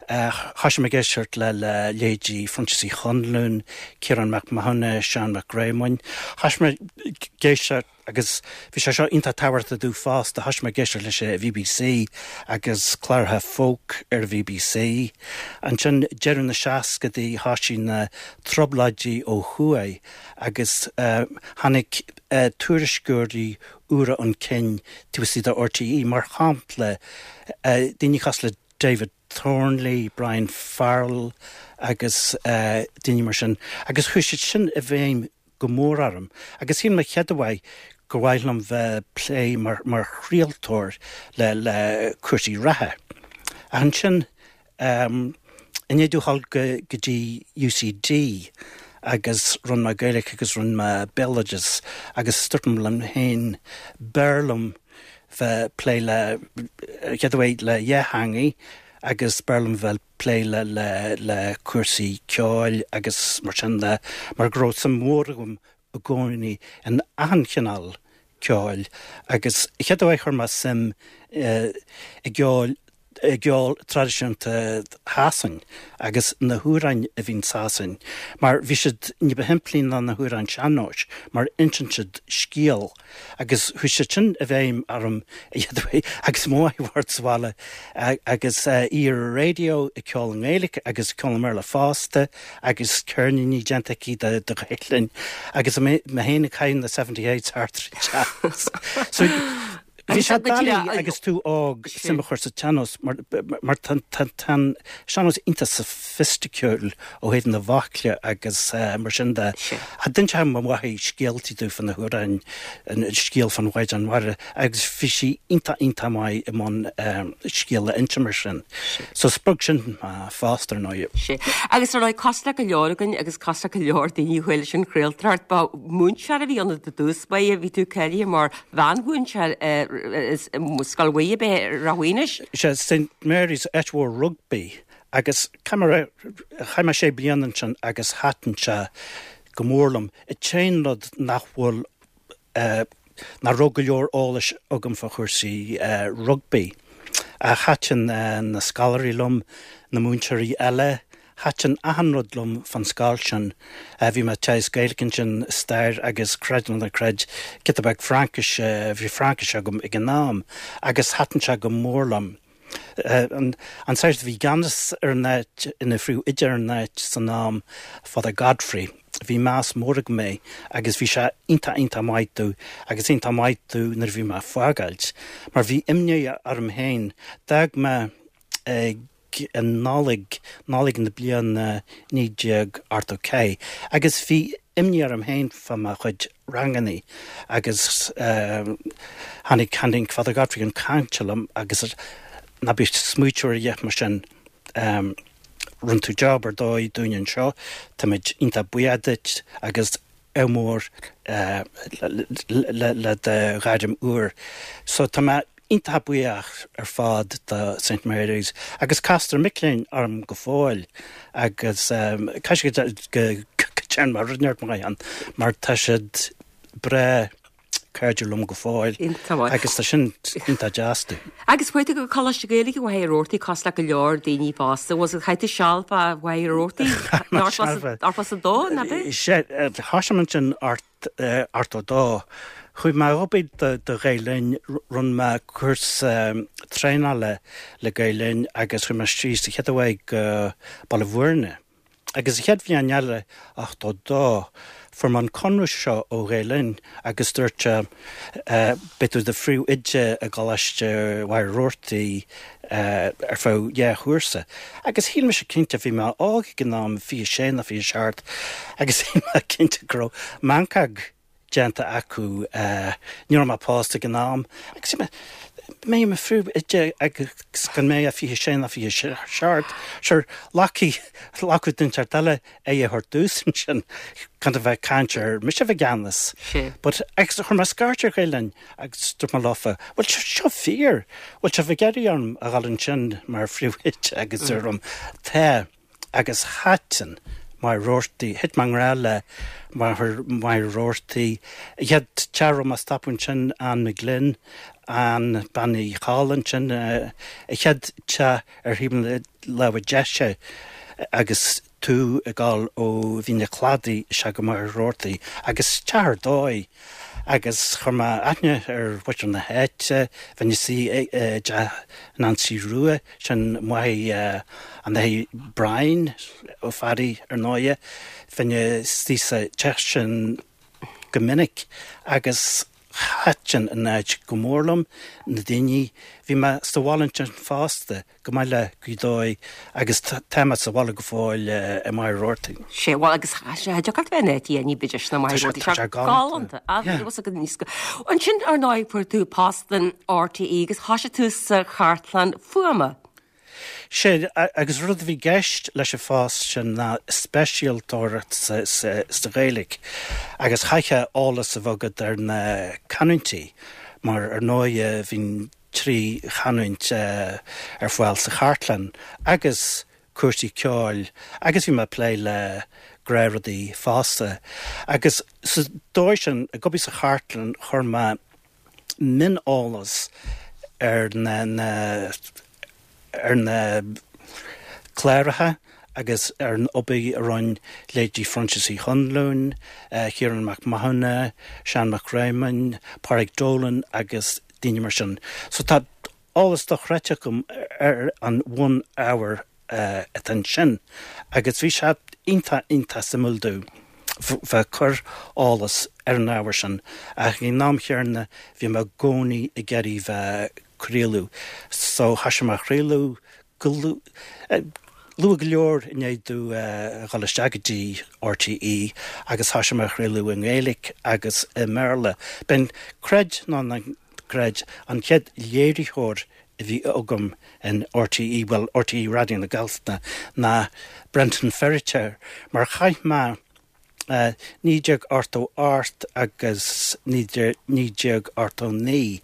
thoisigh mé ag éisteacht le leithéidí Phroinsias Uí Chonluain, Ciarán Mac Mathúna, Seán Mac Réamoinn. Thoisigh mé ag éisteacht Agus bhí sé seo iontach tábhachtach domh fosta, thoisigh mé ag éisteacht leis an bhBC agus cláracha folk ar an bhBC. Ansin deireadh na seascadaí thoisigh na trioblóidí ó thuaidh agus tháinig tuairisceoirí úra chun cinn taobh istigh de RTÉ, mar shampla daoine cosúil le David Thornley, Brian Farrell agus daoine mar sin agus chuaigh siad sin i bhfeidhm go mór orm agus shíl mé chéad uair gur mhaith liom bheith ag plé mar mar chraoltóir le le cúrsaí reatha. Ach ansin i ndiaidh domh dhul go go dtí UCD agus rinne mé Gaeilge agus rinne mé Béaloideas agus dúirt mé liom féin b'fhearr liom bheith ag plé le chéad uair le dhá theangaidh agus b'fhearr liom bheith plé le le le cúrsaí ceoil agus mar sin de mar go raibh suim mhór agam i gcónaí in achan chineál ceoil agus chéad uair chuir mé suim i gceol i gceol traidisiúnta Shasain agus na hamhráin a bhí in Sasain mar bhí siad ní ba shimplí ná na hamhráin sean-nóis mar insíonn siad scéal Agus chuaigh siad sin i bhfeidhm orm agus mo mháthair bhocht sa bhaile agus í ar an raidió ag ceol i nGaeilge agus ag ceol i mBéarla fosta agus ceirníní déanta aici de Ghaelainn agus mé féin ag caitheamh na Seventy Eights thart ar an teach. So bhí sé doiligh agus tú óg suim a chur sa tsean-nós mar tá an sean-nós iontach soifisticiúil ó thaobh na bhfocla agus mar sin de. D'inseodh mo mháthair scéaltaí domh fá na hamhráin, an scéal fán Mhaighdean Mhara agus bhí sí iontach iontach maith i mbun scéal a inse mar sin. So spreag sin mé fosta ar ndóigh. Sea. Agus ar ndóigh, cosúil le go leor againn agus cosúil le go leor daoine a chuaigh leis an chraoltóireacht, ba mhúinteoir a bhí ionat i dtús báire, bhí tú cáilithe mar mheánmhúinteoir i Scoil Mhuire ab ea i Ráth Mhaoinis. Sea, St Mary's, áit mhór rugbaí Agus chaith mé sé bliana ansin agus thaitin sé go mór liom. An t-aon rud nach bhfuil, nach raibh go leor eolais agam fá chúrsaí rugbaí. Ach thaitin na scoláirí liom, na múinteoirí eile, Thaitin achan rud liom fán scoil sin. Bhí mé ag teagasc Gaeilge ansin, stair agus creid nó ná creid, giota beag Fraincise, bhí Fraincis agam ag an am agus thaitin sé go mór liom. An sagart a bhí i gceannas ar an áit, ina phríomhoide ar an áit san am, Father Godfrey, bhí meas mór agam air agus bhí sé iontach iontach maith domh agus iontach maith domh nuair a bhí mé ag fágáilt mar bhí imní orm féin. D'fhág mé ag an Nollaig, Nollaig na bliana 1984 agus bhí imní orm féin fá mo chuid rangannaí agus tháinig, tháinig Father Godfrey chun cainte liom agus ná bí ag smaoitiú ar a dhath mar sin, rinne tú job ar dóigh dúinn anseo, táimid iontach buíoch duit agus ádh mór le do ghairm úr. So tá mé iontach buíoch ar fad do St Mary's agus castar mic léinn orm go fóill agus caithfidh sé go dtearn mé rud inteacht maith ann mar tá siad breá cairdiúil liom go fóill agus tá sin iontach deas domh. Agus chuaigh tú go Coláiste Gaeilge Mhachaire Rabhartaigh cosúil le go leor daoine fosta. Was it chaith tú seal fá Mhachaire Rabhartaigh ochtó a dó, ná bith? Sea, thosaigh mé ansin 82. Chuaigh mé ag obair do Ghael Linn, rinne mé cúrsa traenála le Gael Linn agus chuaigh mé síos sa chéad uair go Baile Bhúirne. Agus an chéad bhliain eile, 82, fuair mé an conradh seo ó Ghael Linn agus dúirt sé, beidh tú i do phríomhoide i gColáiste Mhachaire Rabhartaigh ar feadh dhá chúrsa. Agus shíl mise cinnte, bhí mé óg ag an am, 26 nó 27, agus shíl mé cinnte go raibh meancóg déanta acu. Ní raibh mé pósta ag an am. Agus shíl mé, mbeidh i mo phríomhoide agus gan mé ach 26 nó 27, sure, ghlacfaidh, ghlacfadh duine inteacht eile aghaidh a thabhairt domhsa ansin, gan a bheith ag caint ar mise a bheith i gceannas. But, agus chuir mé scairt ar Ghael Linn agus dúirt mé leofa, bhfuil sé seo fíor? Bhfuil sibh ag iarraidh orm a dhul ansin mar phríomhoide agus dúradh liom, tá. Agus thaitin Machaire Rabhartaigh, thit mé i ngrá le Machaire Rabhartaigh. An chéad teach a raibh mé ag stopadh ansin, Ann McGlynn, Ann Bean Uí Chadhla ansin, an chéad teach ar thaobh na láimhe deise agus tú ag dul ó Mhín an Chladaigh isteach go Machaire Rabhartaigh agus teach ar dóigh agus chuir mé aithne ar mhuintir na háite, bheinn ag suí i dteach Nancy Rua, sin máthair an Athar Brian Ó Fearraigh ar ndóighe, bheinn ag suí sa teach sin go minic agus thaitin an áit go mór liom, na daoine. Bhí mé sa bhaile ansin fosta, go maith le Gaoth Dobhair agus tá mé sa bhaile go fóill i Machaire Rabhartaigh. Sé, bhuel agus cha dtiocfadh leat bheith in áit a ní ba deise ná Machaire Rabhartaigh. Tá sé galánta. Ansin ar ndóigh fuair tú post in RTÉ agus thosaigh tú sa chartlann fuaime. Sé, agus rud a bhí i gceist leis an phost sin ná speisialtóireacht sa Ghaeilge agus chaithfeá eolas a bheith agat ar na canúintí mar ar ndóighe bhí trí chanúint ar fáil sa chartlann agus cúrsaí ceoil agus bhí mé ag plé le gnáthrudaí fosta agus sa dóigh sin ag obair sa chartlann chuir mé mioneolas ar na na ar na cláracha agus ar an obair a rinne leithéidí Phroinsias Uí Chonluain, Ciarán Mac Mathúna, Seán Mac Réamoinn, Pádraig Dolan agus daoine mar sin. So tá eolas dochreidte agam ar an bhun-ábhar atá ansin agus bhí sé iontach, iontach suimiúil domh bheith ag cur eolas ar an ábhar sin ach ag an am chéanna bhí mé i gcónaí ag iarraidh bheith ag craoladh so thoisigh mé a chraoladh go luath go leor i ndiaidh domh a dhul isteach go dtí RTÉ agus thoisigh mé a chraoladh i nGaeilge agus i mBéarla. B'in, creid nó ná creid, an chéad léiritheoir a bhí agam in RTÉ, bhuel, RTÉ Raidió na Gaeltachta, ná Brendan Feiritéar, mar chaith mé 1988 agus 1989,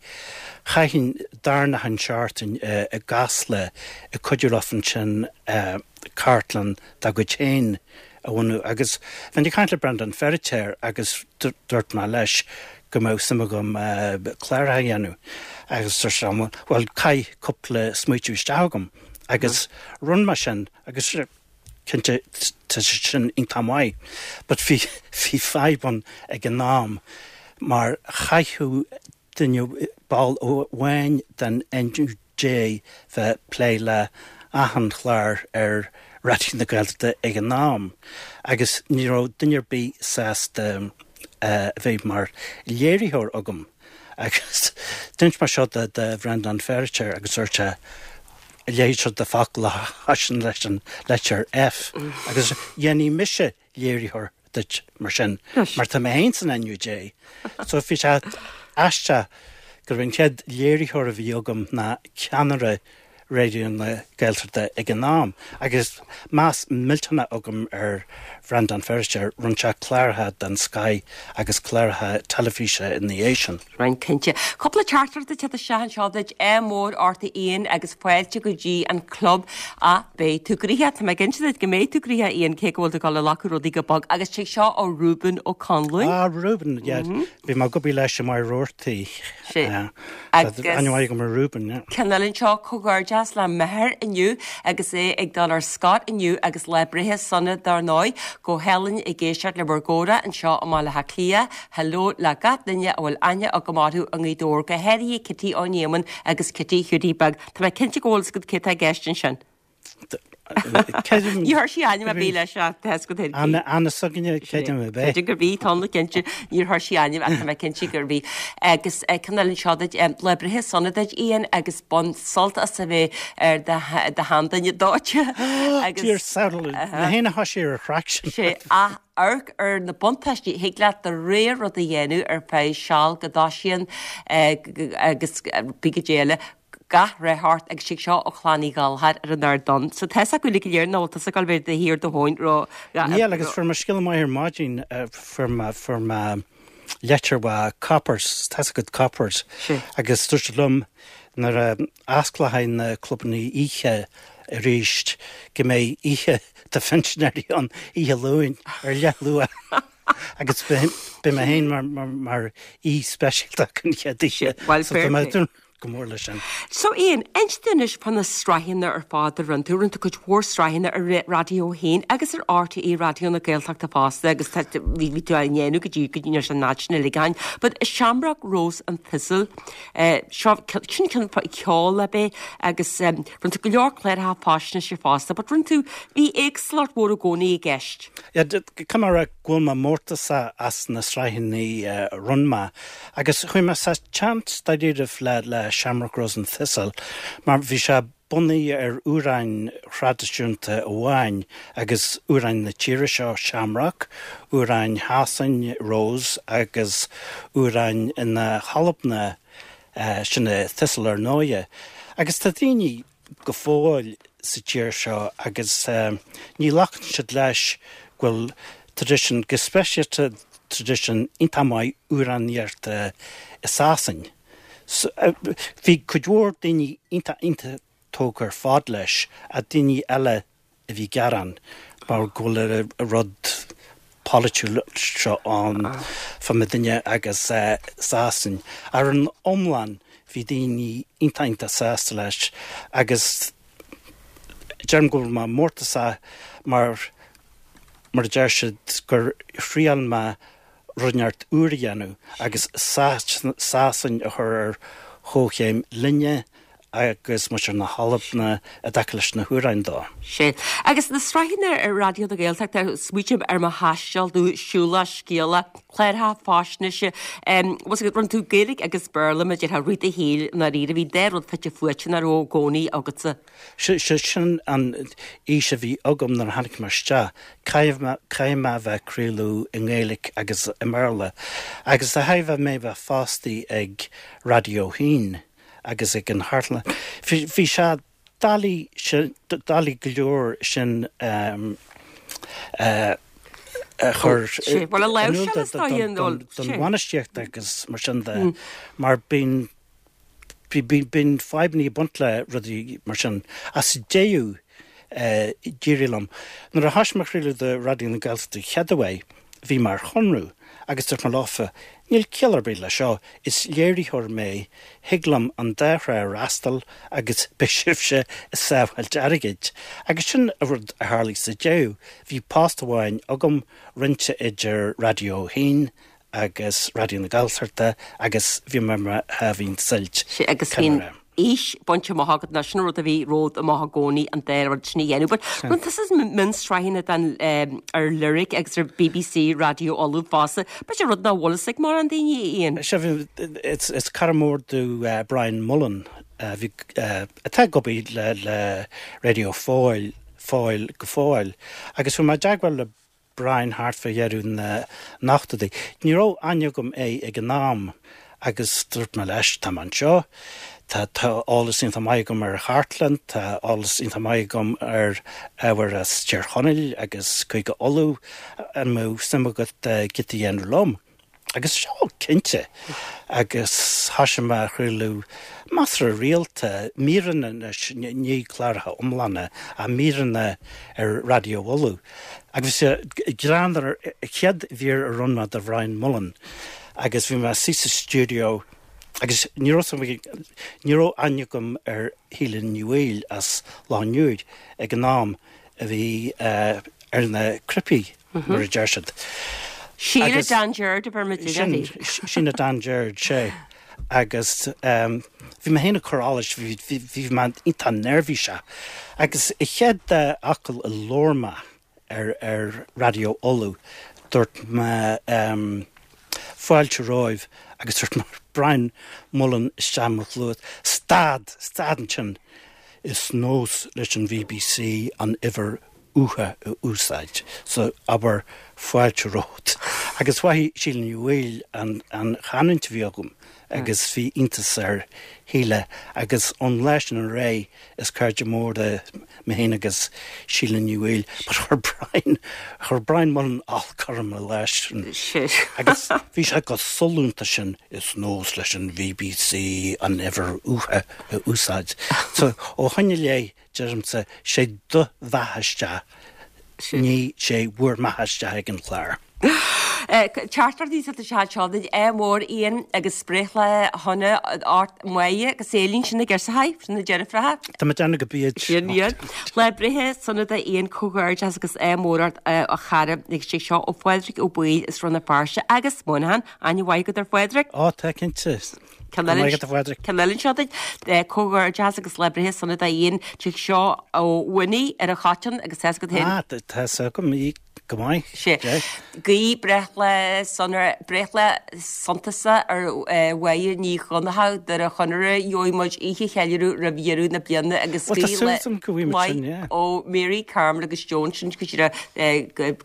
chaithinn darna achan seachtain i gCasla ag cuidiú leofa ansin cartlann dá gcuid féin a bhunú agus bheinn ag caint le Breandán Feiritéar agus dúirt mé leis go mbeadh suim agam cláracha a dhéanamh agus dúirt sé bhuel caith cúpla smaoitiú isteach agam agus rinne mé sin agus. Cinnte tá sé sin iontach maith but bhí bhí fadhb ann ag an am mar chaithfeadh duine, ball amháin den NUJ bheith ag plé le achan chlár ar Raidió na Gaeltachta ag an am agus ní raibh duine ar bith sásta a bheith mar léiritheoir agam agus d'inis mé seo do Bhreandán Feiritéar agus dúirt sé a leithéid seo de focal a thosaíonn leis an litir F agus dhéanfaidh mise léiritheoir duit mar sin mar tá mé féin san NUJ. So bhí sé aisteach gurbh an chéad léiritheoir a bhí agam ná ceannaire Raidió na Gaeltachta ag an am agus meas millteanach agam ar Bhreandán Feiritéar, rinne sé cláracha den scoith agus cláracha teilifíse ina dhiaidh sin. Rinne, cinnte. Cúpla teachtaireacht ag teacht isteach anseo duit, ádh mór ort a Ian agus fáilte go dtí an club. Ach beidh tú gnoitheach, tá mé ag inse duit go mbeidh tú gnoitheach Ian cé go bhfuil tú ag dul a ghlacadh rudaí go bog agus tig seo ó Reuben Ó Conluain. Ah Reuben, yeah. Bhí mé ag obair leis i Maigh Roarty. Sea. Agus. Aithne mhaith agam ar Reuben, yeah. Ceann eile anseo, comhghairdeas le m'athair inniu agus é ag dul ar scor inniu agus lá breithe sona dár ndóigh. Go hálainn ag éisteacht le bhur gcomhrá anseo i mBaile Átha Cliath. Hello le gach duine a bhfuil aithne agam orthu i nGaoth Dobhair, go háirithe Kitty Ó Néamáin agus Kitty Hiúdaí Beag. Tá mé cinnte go bhfuil fhios agat cé atá i gceist ansin. Ní chuir sí ainm ar bith leis ach tá fhios agat féin. Anna Anna s'againne creidim ab é. Creidim gurb í, tá mé cinnte. Níor chuir sí ainm ach tá mé cinnte gurb í. Agus ceann eile anseo duit, lá breithe sona duit Ian agus bain sult as a bheith ar do sheanduine dóite. Agus Dear saol, mé féin a thoisigh ar an chraic sin. Sé ach amharc ar na buntáistí, thig leat do rogha rud a dhéanamh ar feadh seal go dtoisíonn agus bí go dté eile. Gach rath ort agus tig seo ó Chlann Uí Ghallchóir ar an Ard Donn. So tá fhios acu uilig go léir nach bhfuil tusa ag dul bheith de shíor do thóin ró Níl agus fuair mé scéala maith ar maidin, fuair mé, fuair mé leitir ó Coppers, tá fhios agat Coppers, agus dúirt siad liom nuair a osclóidh na clubanna oíche arís go mbeidh oíche do phinsinéirí ann oíche Luain ar leath luath agus beidh mé féin mar, mar, mar aoi speisialta an chéad oíche. Well, So tá mé go mór leis sin. So Ian, inis dúinn anois fá na sraitheanna ar fad a rinne tú. Rinne tú cuid mhór sraitheanna ar Raidió 1 agus ar RTÉ Raidió na Gaeltachta fosta agus tá, bhí, bhí tú á ndéanamh go dtí, go dtí an áit sin uilig ann. But Shamrock Rose and Thistle, eh, seo, sin ceann ceoil ab é agus eh, rinne tú go leor cláracha faisnéise fosta, but rinne tú, bhí éagsúlacht mhór i gcónaí i gceist. Yeah, caithfidh mé a rá go bhfuil mé mórtasach as na sraitheanna a rinne mé agus chuaigh mé sa tseans dáiríribh le le Shamrock Rose and Thistle mar bhí sé bunaithe ar amhráin thraidisiúnta amháin agus amhráin na tíre seo, Shamrock, amhráin Shasain, Rose, agus amhráin na hAlban, sin é Thistle ar ndóighe. Agus tá daoine. go fóill sa tír seo agus ní ghlacann siad leis go bhfuil traidisiún, go speisialta traidisiún iontach maith amhránaíochta i Sasain. Bhí cuid mhór daoine iontach iontach tógtha ar fad leis ach daoine eile a bhí ag gearán mar go bhfuil an rud polaitiúil seo ann fá muidinne agus Sasain. Ar an iomlán bhí daoine iontach iontach sásta leis agus deirim go bhfuil mé mórtasach mar mar a deir siad gur thriail mé rud inteacht úr a dhéanamh agus Sasain a chur ar chomhchéim linne agus muintir na hAlban i dtaca leis na hamhráin dó. Sea. Agus na sraitheanna ar Raidió na Gaeltachta, smaoitím ar mo thaisteal nó siúlach scéalach, cláracha faisnéise, bhfuil fhios agat, rinne tú Gaeilge agus Béarla, mar a déarfá, rith do shaoil i ndáiríre, bhí an dá rud fite fuaite nach raibh i gcónaí agatsa. Sin an fhís a bhí agam nuair a tháinig mé isteach, caithfidh mé, caithfidh mé a bheith ag craoladh i nGaeilge agus i mBéarla. Agus de thairbhe mé bheith fostaí ag Raidió 1 agus ag an Chartlann, bhí, bhí sé doiligh sin, doiligh go leor sin a chur in iúl don bhainistíocht agus mar sin de, mar bíonn, Bíonn fadhbanna ag baint le rudaí mar sin. Ach sa deireadh, d'éirigh liom. Nuair a thoisigh mé ag craoladh do Raidió na Gaeltachta chéad uair, bhí mé ar chonradh agus dúirt mé leofa. Níl ciall ar bith le seo, is léiritheoir mé, thig liom an dá thrá a fhreastal agus beidh sibhse ag sábháilt airgid. Agus sin an rud a tharlaigh sa deireadh, bhí post amháin agam, roinnte idir Raidió a hAon agus Raidió na Gaeltachta agus bhí mé ar mo sháimhín suilt. Sea, agus bhí an fhís bainte amach agat, nó sin an rud a bhí romhat amach i gcónaí, an dá rud sin a dhéanamh. But rinne tusa mionsraitheanna den ar Lyric agus ar BBC Raidió Uladh fosta. B'fhéidir rud nach bhfuil fhios ag mórán daoine, Ian. Sea, bhí, is cara mór domh Brian Mullen, a bhí, atá ag obair le le Raidió Fóill, Fóill go fóill, agus bhí mé i dteagmháil le Brian thart fá dheireadh na n-ochtóidí. Ní raibh aithne agam air ag an am agus dúirt mé leis, tá mé anseo, tá tá eolas iontach maith agam ar chartlann, tá eolas iontach maith agam ar ábhar as Tír Chonaill agus Cúige Uladh, an mbeadh suim agat giota a dhéanamh liom? Agus seo, cinnte. Agus thoisigh mé a chraoladh measartha rialta, míreanna anois, ní cláracha iomlána, ach míreanna ar Raidió Uladh. Agus bhí sé greannmhar, an chéad mhír a rinne mé do Bhrian Mullen agus bhí mé suí sa stiúideo agus ní raibh ní raibh aithne agam ar Shíle Ní Bhaoill as Loch an Iúir ag an am a bhí ar na cnaipí. mar a deir siad. Síle Dan Gerard a bheir muid uirthi. Síle Dan Gerard, sea. Agus bhí mé féin ag cur allais, bhí mé iontach neirbhíseach. Agus an chéad fhocal a labhair mé ar Raidió Uladh, dúirt mé fáilte romhaibh agus dúirt mé Brian Mullen isteach i mo chluas, stad, stad ansin, is nós leis an bhBC an uimhir uatha a úsáid, so abair fáilte romhat. Agus mhothaigh Síle Ní Bhaoill an chanúint a bhí agam agus bhí iontas ar Shíle agus ón lá sin ar aghaidh is cairde móra mé féin agus Síle Ní Bhaoill. But chuir Brian, chuir Brian Mullen olc orm an lá sin. Agus bhí sé go sollúnta sin, is nós leis an bhBC an uimhir uatha a úsáid. So ó shoin i leith Deirimse, sé do bheatha isteach, ní sé bhur mbeatha isteach ag an chlár. Teachtaireachtaí sa chat seo duit, ádh mór Ian agus breithlá shona ort Máire agus Éilín sin na girseachaí, sin na deirfiúracha. Tá mé ag déanamh go bíd. Sin iad. Lá breithe sona do Ian comhghairdeas agus ádh mór ort a chara agus sé seo ó Phádraig Ó Baoill as Rann na Feirste agus Moynihan, aithne mhaith agat ar Phádraig? Ó tá cinnte. Ceann eile anseo duit, comhghairdeas agus lá breithe sona do Ian, tig seo ó Winnie ar an Choiteann agus tá 'fhios agat féin. Ah, tá 'fhios agam í go maith. Sé. Guí breithlá sona, breithlá shuntasach ar Mháire Ní Dhonnchadha, Doire Chonaire, gheobhaidh muid oíche cheiliúradh roimh dheireadh na bliana agus Well, tá súil agam go bhfaighidh muid sin, yeah. ó Mary, Carmel agus Joan sin go díreach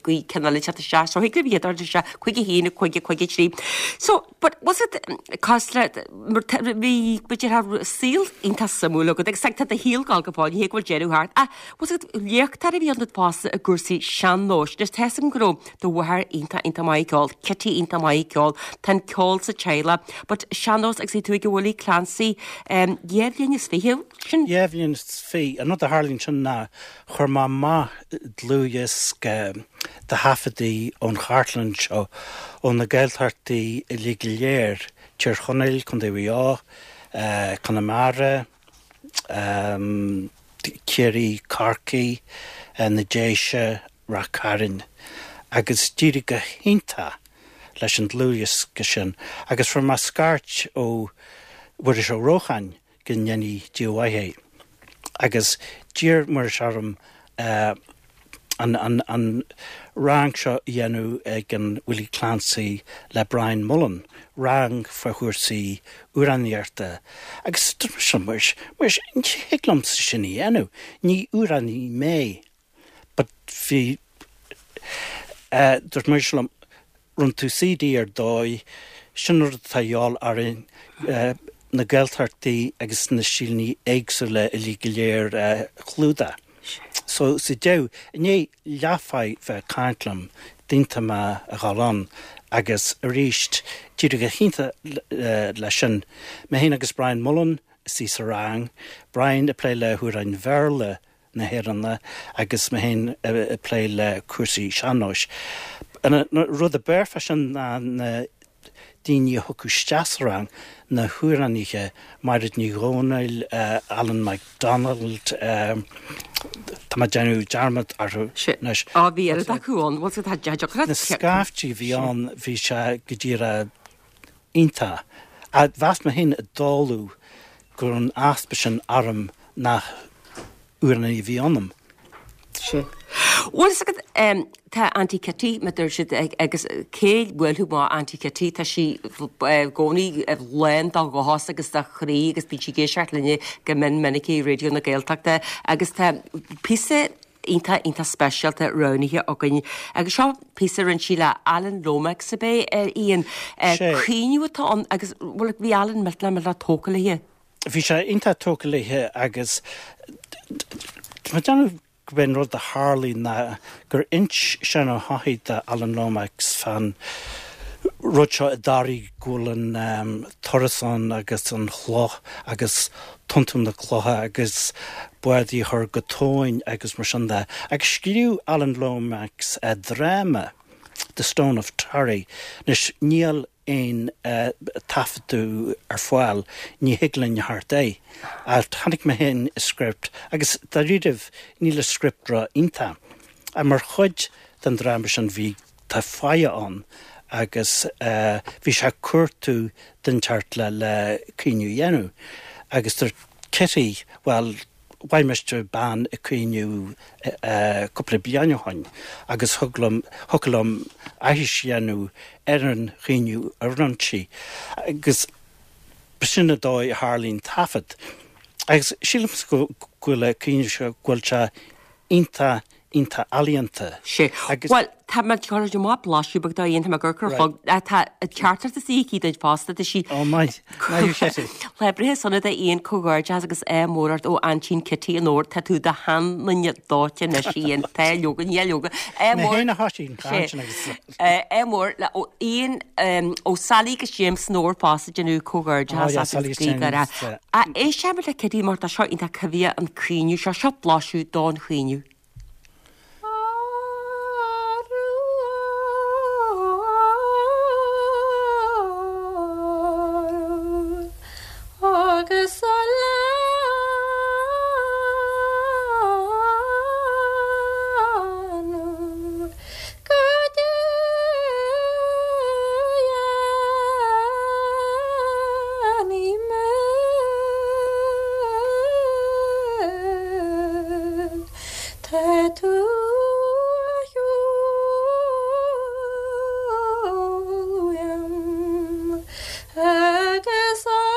guí ceann eile teacht isteach. So thig libh iad a isteach 5 1 5 5 3. So, But was it cosúil le mar bhí b'fhéidir saol iontach suimiúil agat agus tá do shaol ag dul go fóill, ní hé go bhfuil deireadh thart. Ach was it léachtóir a bhí ionat fosta i gcúrsaí sean-nóis. Anois tá 'fhios agam go raibh do mháthair iontach iontach maith ag ceol, Kitty iontach maith ag ceol, tá an ceol sa teaghlach, but sean-nós agus bhí tú ag Willie Clancy dhá bhliain is fiche, sin? Dhá bhliain is fiche. An rud a tharlaíonn sin ná Chuir mé amach dlúthdhiosca de thaifeadaí ón chartlann seo ó na Gaeltachtaí uilig go léir, Tír Chonaill, Contae Mhaigh Eo, Conamara, Ciarraí, Corcaigh, na Déise, Ráth Cairn, agus d'éirigh go hiontach leis an dlúthdhiosca sin agus fuair mé scairt ó Mhuiris Ó Rócháin, go ndéanaí Dia mhaith é. Agus d'iarr Muiris orm an rang seo a dhéanamh ag an Willie Clancy le Brian Mullen, rang fá chúrsaí amhránaíochta. Agus dúirt mise le Muiris, Muiris, ní thig liomsa sin a dhéanamh, ní amhránaí mé. But bhí, dúirt Muiris liom, rinne tú CD ar dóigh, sin an rud atá a dhíobháil orainn, na Gaeltachtaí agus na stíleanna éagsúla uilig go léir a chlúdach. So sa deireadh, i ndiaidh leathmhaith bheith ag caint liom, d'aontaigh mé a dhul ann agus arís, d'éirigh go hiontach leis sin. Mé féin agus Brian Mullen istigh sa rang, Brian ag plé le hamhráin Bhéarla, na hÉireann agus mé féin ag plé le cúrsaí sean-nóis. An rud ab fhearr fá sin ná na. daoine a thiocfadh isteach sa rang, na hamhránaithe, Mairéad Ní Dhomhnaill, Alan McDonald, tá mé ag déanamh dearmad orthu anois. Á, bhí oiread acu ann, bhfuil tá deacracht. Na scaiftí a bhí ann, bhí sé go díreach iontach. Mheas mé féin i dtólamh go raibh an easpa sin orm nach amhránaí a bhí ionam. Sea. Bhfuil fhios agat, tá Auntie Kitty, mar deir siad, agus cé bhuailfeadh amach Auntie Kitty, tá sí i gcónaí lán de dhóchas agus de chroí agus bíonn sí ag éisteacht linne go mion minic i Raidió na Gaeltachta agus tá píosa iontach, iontach speisialta roghnaithe againn agus seo píosa a rinne sí le Alan Lomax ab é, Ian. Caoineadh atá ann agus, bhuel, bhí Alan millteanach, millteanach tógtha léi. Bhí sé iontach tógtha léi agus tá mé ag déanamh gurb é an rud a tharlaigh ná gur ins Seán Ó hEochaidh do Alan Lomax fán rud seo i dToraigh go bhfuil an turas ann agus an chloch agus tiontú na cloiche agus bádaí a chur go tóin agus mar sin de. Agus scríobh Alan Lomax dráma, The Stone of Tory. Anois níl aon taifeadadh ar fáil, ní thig linn a theacht air. Ach chonaic mé féin an script agus dáiríribh níl an script ró-iontach. Ach mar chuid den dráma sin bhí, tá fáidhe ann agus bhí sé ag cuartú duine inteacht le le caoineadh a dhéanamh. Agus dúirt Kitty, bhuel, Mhaith mise bean ag caoineadh cúpla bliain ó shoin agus thig liom, thiocfadh liom aithris a dhéanamh ar an chaoineadh a rinne sí. Agus b'shin an dóigh a tharlaigh an taifead. Agus sílimse go bhfuil an caoineadh seo, go bhfuil sé iontach iontach ealaíonta. Sea. Agus. Bhuel, tá mé ag cur amach blaiseadh beag dó Ian, tá mé ag amharc ar an chlog. Tá teachtaireacht istigh aici duit fosta, tá sí. Ó, maith. Maith thú Kitty. Lá breithe sona do Ian, comhghairdeas agus ádh mór ort ó Aintín Kitty an Fhómhair. Tá tú i do sheanduine dóite anois, Ian. Tá, leoga, ní leoga. Ádh mór. Mé féin a thoisigh an chaint sin agus. Ádh mór le ó Ian, ó Sally agus James san Fhómhar fosta ag déanamh comhghairdeas as agus guí go raibh. Éistfimid le Kitty mar tá seo iontach coimhthíoch an caoineadh seo, seo blaiseadh don chaoineadh. Agus a leanadh go déanaí mé. Tá tú a shiúl uaim agus arú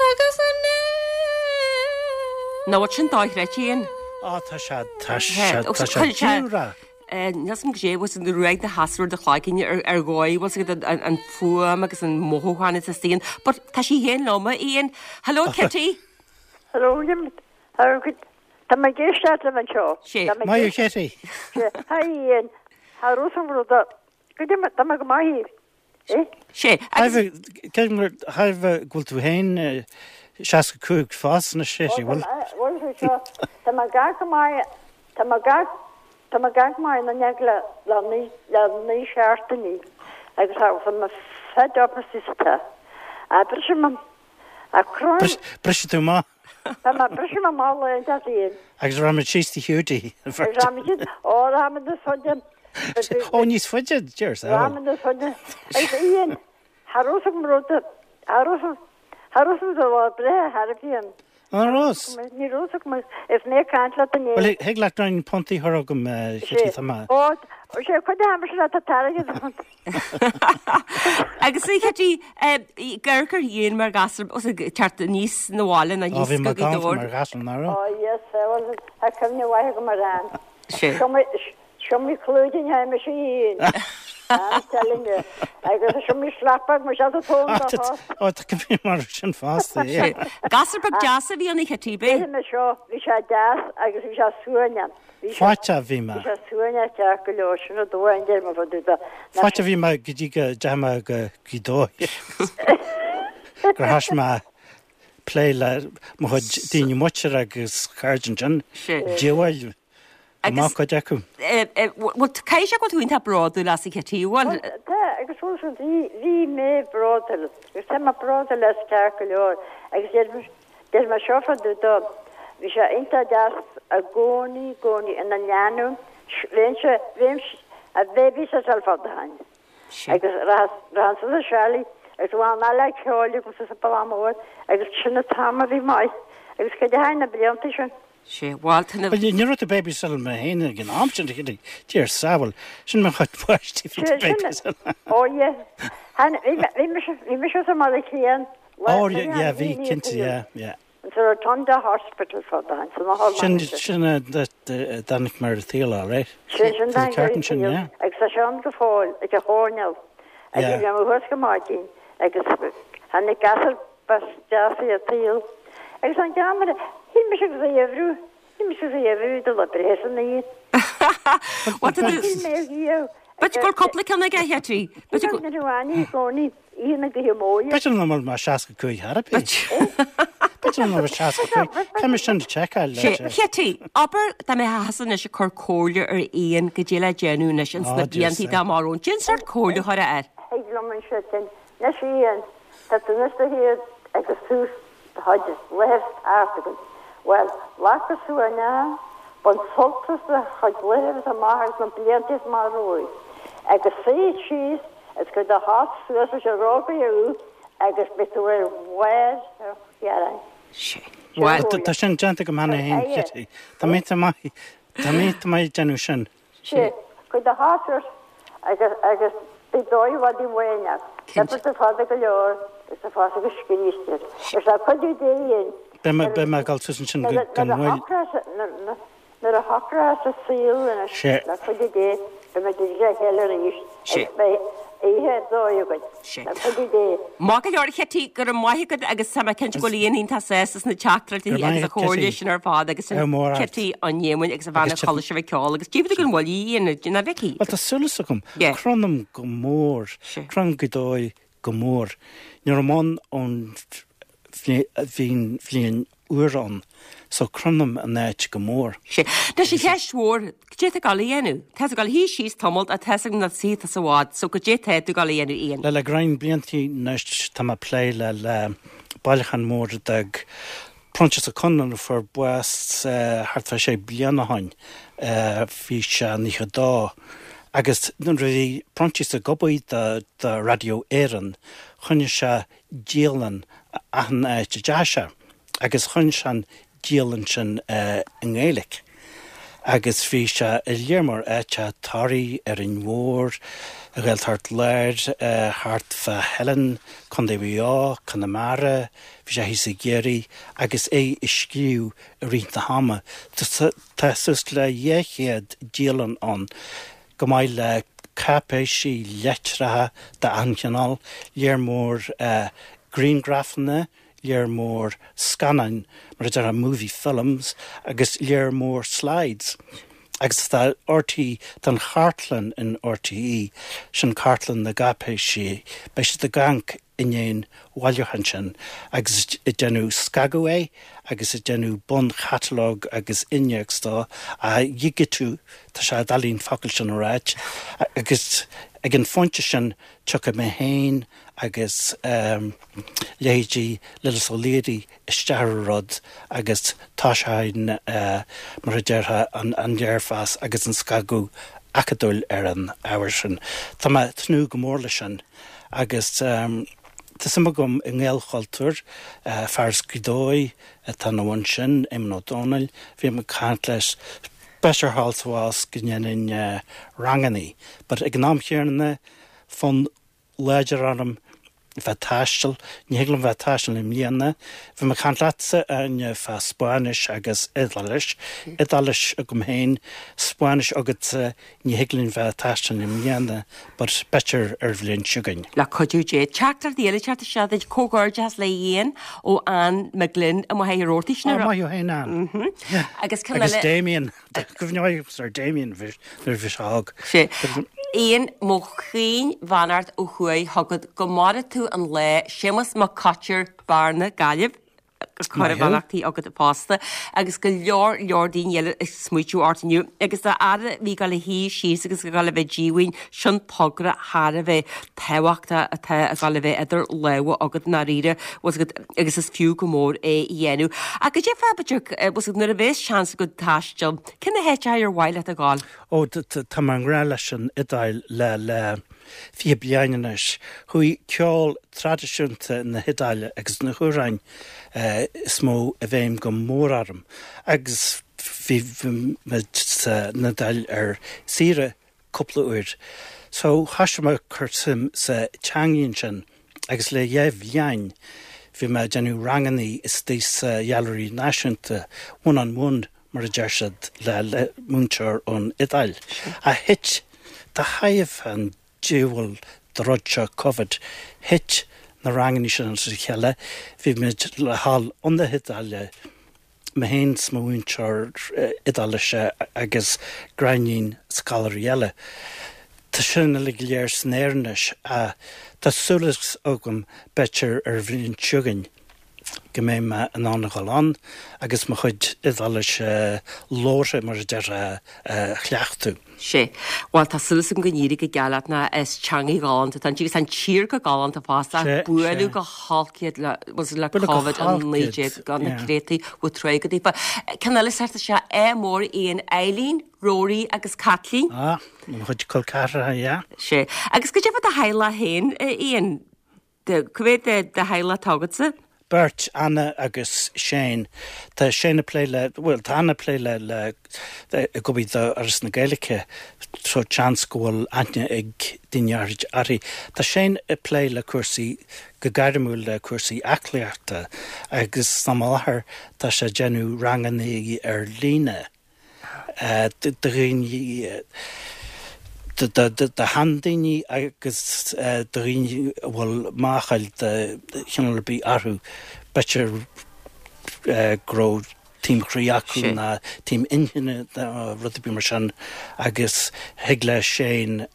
Agus Nach bhfuil sin dochreidte, Ian? Á, tá sé, tá sé, tá sé diamhrach. Níl 'fhios a'm goidé, bhfuil 'fhios a'd ruaig na heasra do chloigeann ar ar dhóigh, bhfuil 'fhios agat an an fuaim agus an mothúchán is Ian. But tá sí féin liom, a Ian. Hello, Kitty. Hello, Jim. How good. Tá mé ag éisteacht libh anseo. Sé. Tá mé ag Maith thú, Kitty. Sé. Hi, Ian. Cha raibh san rud. Goidé, tá mé go maith. Sé. Agus. Creidim gur thairbhe go bhfuil tú féin 65 fosta anois, a Chití, bhfuil? Bhfuil tú seo? Tá mé gach go maith, tá mé gach, tá mé gach maith ina neag le, le naoi, le naoi seachtainí agus tá, tá mé fed up is tá. A briseadh mo, a crann. Briseadh tú amach. Tá mé briseadh mo mhála ar an Ian. Agus rachaimid síos to Hiúdaí. Rachaimid síos, ó rachaimid níos faide. Ó níos faide, dear soul. Rachaimid níos faide. Agus Ian, cha raibh 'fhios agam rud, cha raibh, cha raibh 'fhios agam do lá breithe thar a bhíonn. An raibh? Ní raibh 'fhios agam, is mé ag caint leat inné. Bhuel, thig leat roinnt puntaí a chur chugam, Chití, tá mé. Ó, sé cuid de aimsir atá tairgid ann. Agus a Chití, gur gur dhéan mar ghasúr os ag teacht aníos na bhaile ná Ó, bhí mé galánta mar ghasúr, nach raibh? Ó, yes, bhuel, tá cuimhne mhaith agam ar an. Sé. Seo mé clúidín mise fhéin. I'm telling you. Agus seo mé slapbag mar seo tá tón do thost. Ó, tá cuimhne mar sin fosta, yeah. Sé. Gasúr beag deas a bhí ann a Chití, b'é? Bhí mé seo, bhí sé deas agus bhí sé suaimhneach. Fáite a bhí mé. Bhí sé suaimhneach ceart go leor, sin rud amháin deir mo bhun dá. Fáite a bhí mé go dtí go dteachaigh mé go Gaoth Dobhair. Gur thoisigh mé plé le mo chuid daoine muinteartha agus cairde ansin. Sé. Diabhail. Go maith cuid acu. Bhuel, caithfidh sé go bhfuil tú iontach bródúil as a Chití, bhfuil? Bhuel, tá, agus bhuel, so bhí, bhí mé bródúil, agus tá mé bródúil as ceart go leor, agus deir, deir mé seo fá dtaobh dó, bhí sé iontach deas i gcónaí, i gcónaí ina leanbh, bheinnse, bheinnse, a bhabysitáil fad a tháinig. Agus rachainn suas a Charlie agus bhain eile ceoil agus sa Baile Mór agus sin an t-am a bhí maith agus cad a tháinig na blianta sin. Sé, bhuel, tá na. Bhuel, ní raibh tú babysitáil mé féin ag an am sin, a Dia ár sábháil. Sin mo chuid páistí bhí tú babysitáil. Ó yeah. Bhí mise, bhí mise sa mbaile céanna. Ó yeah, bhí, cinnte, yeah, yeah. Sa Rotunda Hospital fad a tháinig san otharlann. Sin, sin a dtáinig mé ar an tsaol, all right. Sin, sin a dtáinig ar an tsaol agus tá sé ann go fóill ag an choirnéal. Agus bhí mé thuas go maidin agus tháinig gasúr deas ar an tsaol. Agus an ceann, shíl mise go raibh uimhriú, shíl mise go raibh uimhriú do le breith san oíche. Shíl mé riamh. B'fhéidir go bhfuil cúpla ceann aige, a Chití. B'fhéidir go raibh aithne i gcónaí. Oíche na gaoithe móire. B'fhéidir nach bhfuil mé 65 chor ar bith. B'fhéidir nach bhfuil 65. Caithfidh mé sin a sheiceáil. Sé, Chití, abair dá mbeifeása anois ag cur comhairle ar Ian goidé le déanamh anois ins na blianta atá amach romhainn. Cén sórt comhairle a chuirfeá air. Thig liom anseo sin. Anois Ian, tá tú anois do shaol agus tús do chuid laethas thart agat. Bhuel, glac go suaimhneach, bain sult as do chuid laethas amach agus na blianta amach romhat. Agus suigh síos Is cuir do shos suas leis an rógaire thú agus beidh tú ar bharr an ghearáin. Sé. Bhuel. Tá sin déanta agam cheana féin, Kitty. Tá mé iontach maith, tá mé iontach maith ag déanamh sin. Sé. Cuir do shos suas agus, agus beidh dóigh mhaith amháin agat. Cinnte. Beidh tú fada go leor agus tá fás agus scríste. Is le cuidiú Dé dhéin. Beidh mé, beidh mé ag dul suas ansin gan mhoill. Nuair a Nuair a shocróchas an saol anois le cuidiú Dé beidh muid le chéile arís agus beidh oíche ar dóigh againn le cuidiú Dé. Maith go leor a Chití, go raibh maith agat agus tá mé cinnte go bhfuil Ian iontach sásta sna teachtaireachtaí agus an chomhairle sin ar fad agus sin Cití an Éamoinn agus a bhean a chuala sibh ag ceol agus díobh go bhfuil Ian, ná Vicky. Bhuel tá súil agam, Cronaim go mór, cronaim go dóigh go mór. Ní raibh mé ann ón bhliain úr ann so cronaim an áit go mór. Sé. Anois an cheist mhór, goidé tá ag dul a dhéanamh? Tá tú ag dul a shuí síos tamalt ach tá's agam nach suífidh tusa i bhfad, so goidé tá tú ag dul a dhéanamh Ian? Le le roinnt bliantaí anois tá mé ag plé le le bailiúchán mór a d'fhág Proinsias Ó Conluain a fuair bás thart fá sé bliana ó shoin, bhí sé 92, agus nuair a bhí Proinsias ag obair do do Radio Éireann choinnigh sé dialann achan áit a dteachaigh sé agus choinnigh sé an dialann sin i nGaeilic agus bhí sé i lear mór áiteacha, Toraigh, Árainn Mhór, Ghaeltacht Láir, thart fá Theileann, Contae Mhaigh Eo, Conamara, bhí sé thíos i gCiarraí agus é ag scríobh i rith na hama. Tá suas le 200 dialann ann. go maith le cáipéisí, litreacha d'achan chineál, lear mór grianghrafanna, lear mór scannáin, mar a déarfá movie films, agus lear mór slides. Agus tá RTÉ, tá an chartlann in RTÉ, sin cartlann na gcáipéisí, beidh siad ag amharc i ndiaidh an bhailiúcháin sin agus ag déanamh scagadh air agus ag déanamh bunchatalóg agus innéacs dó á dhigitiú, tá sé doiligh an focal sin a ráit, agus ag an phointe sin tiocfaidh mé féin agus leithéidí Lillis Ó Laoire isteach ar an rud agus toiseoidh mar a déarfá an léirmheas agus an scagadh acadúil ar an ábhar sin. Tá mé ag tnúth go mór leis sin. Agus tá suim agam i nGaelchultúr, fear as Gaoth Dobhair atá ina bhun sin, Éamonn Ó Dónaill, bhí mé ag caint leis, b'fhéidir thall 's abhus go ndéanfainn rangannaí, but ag an am chéanna, fonn láidir orm bheith ag taisteal, ní thig liom bheith ag taisteal i mbliana, bhí mé ag caint leatsa, Áine, fá Spáinnis agus Iodáilis, Iodáilis agam féin, Spáinnis agatsa, Ní thig linn bheith ag taisteal i mbliana but b'fhéidir ar bhliain seo chugainn. Le cuidiú Dé. Teachtaireacht eile ag teacht isteach duit, Comhghairdeachas le Ian ó Ann McGlynn i Machaire Rabhartaigh. Ó, maith thú féin Ann. Agus ceann eile. Agus Damien. Cuimhneoidh ar Damien nuair a bhí sé óg. Sé. Ian, mo chaoin-bheannacht ó thuaidh chugat. Go maire tú an lá. Séamus Mac Coitir, Bearna, Gaillimh. Cur Maith thú. beannachtaí agat fosta agus go leor leor daoine eile ag smaoitiú ort inniu agus do fhear a bhí ag dul a shuí síos agus ag dul a bheith díomhaoin, sin togra thar a bheith tábhachtach atá ag dul a bheith idir lámha agat i ndáiríre, bhfuil 's agat, agus is fiú go mór é a dhéanamh. Ach goidé fá, b'fhéidir, bhfuil 's agat, nuair a bheas seans agat taisteal, cé na háiteacha ar mhaith leat a ghabháil? Ó, tá mé i ngrá leis an Iodáil le, le 20 bliain anois. Chuaigh ceol traidisiúnta na hIodáile agus na hamhráin is mó i bhfeidhm go mór orm agus bhí muid san Iodáil ar saoire cúpla uair. So thoisigh mé ag cur suim sa teangaidh ansin agus le dheich bhliain bhí mé ag déanamh rangannaí istigh sa Ghailearaí Náisiúnta, one on one mar a deir siad, le le múinteoir ón Iodáil. Ach thit, de thairbhe an diabhal de rud seo Covid, thit na rangannaí sin as a chéile, bhí muid le dhul 'un na hIodáile, mé féin 's mo mhúinteoir Iodáilise agus gráinnín scoláirí eile. Tá sin uilig go léir san aer anois ach tá súil agam b'fhéidir ar an bhliain seo chugainn go mbeidh mé in ann a dhul ann agus mo chuid Iodáilise labhartha, mar a déarfá, a chleachtadh. Sea. Bhuel, tá súil agam go n-éireoidh go geal leat nó is teangaidh ghalánta atá inti agus tá an tír go galánta fosta ach buaileadh go holc iad le, was it le Covid-19 gan na créataí bhfuil tráth go daofa. Ceann eile sort is ea ádh mór Ian, Eileen, Rory agus Caitlín. Ah, mo chuid col ceathracha, yeah. Sea. Agus goidé fá do theaghlach féin, Ian? Cá mhéad de theaghlach atá agatsa? Beirt, Anna agus Shane. Tá Shane ag plé le, bhuel, tá Anna ag plé le, le, ag obair do Fhoras na Gaeilge so seans go bhfuil aithne ag daoine áirid uirthi. Tá Shane ag plé le cúrsaí, go gairmiúil le cúrsaí aclaíochta agus san am i láthair tá sé ag déanamh ranganna ar líne. do dhaoine, do sheandaoine agus do dhaoine a bhfuil máchail de chineál ar bith orthu, b'fhéidir go raibh taom chroí acu nó taom inchinne nó rud ar bith mar sin agus thig le Shane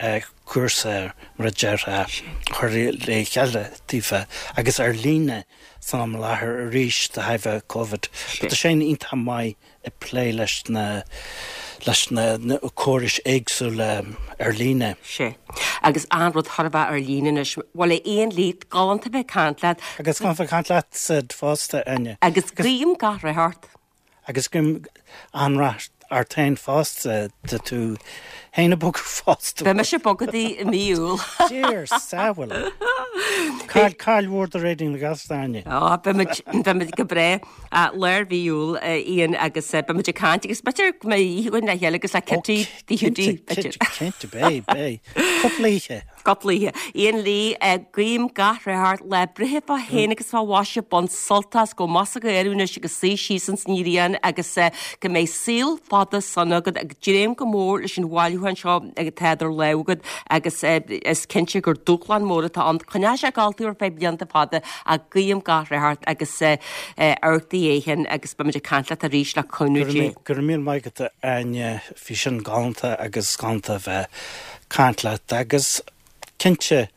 cúrsa, mar a déarfá, a chur le chéile daofa agus ar líne san am i láthair arís de thairbhe Covid. Tá Shane iontach maith ag plé leis na leis na córais éagsúla ar líne. Sea. Agus an-rud thar a bheith ar líne anois. Bhuel, a Ian Lee, galánta bheith ag caint leat. Agus galánta bheith ag caint leatsa fosta, Áine. Agus guím gach rath ort. Agus guím an-rath ort féin fosta, tá tú féin ag bogadh fosta. Beidh mise ag bogadh i mí Iúil. Dear sábháil. Cáil cáil mhór do Raidió na Gaeltachta, Áine. Á, beimid beimid go breá. Lár mhí Iúil, Ian, agus beimid ag caint agus b'fhéidir go mbeidh oíche againn le chéile agus le Kitty Tigh Hiúdaí, b'fhéidir. Cinnte, beidh, beidh. Cúpla oíche. Cúpla oíche. Ian Lee, guím gach rath ort, lá breithe fá shéan agus fá mhaise, bain sult as, gabh amach sa ghaoth anois agus suigh síos ins an ngrian agus go mbeidh saol fada sona agat ag dréim go mór leis an bhailiúchán seo atá idir lámha agat agus is cinnte gur dúshlán mór atá ann. Coinneoidh sé ag gabháil thú ar feadh blianta fada ach guím gach rath ort agus amharc do dhiaidh féin agus beimid ag caint leat arís le cúnamh Dé. Go raibh míle maith agat a Áine, bhí sin galánta agus galánta a bheith ag caint leat agus cinnte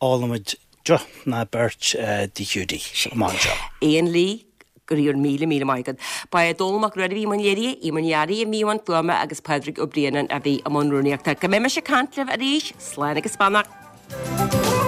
ólfaimid deoch ná beirt Tigh Hiúdaí amach anseo. Ian Lee, go raibh míle míle maith agat. Ba é Dónall Mac Ruairí a bhí i mbun léirithe, Emer Ní Fhearraigh a bhí i mbun fuaime agus Pádraig Ó Braonáin a bhí i mbun rúnaíochta. Go mbeidh mise ag caint libh arís, slán agus beannacht.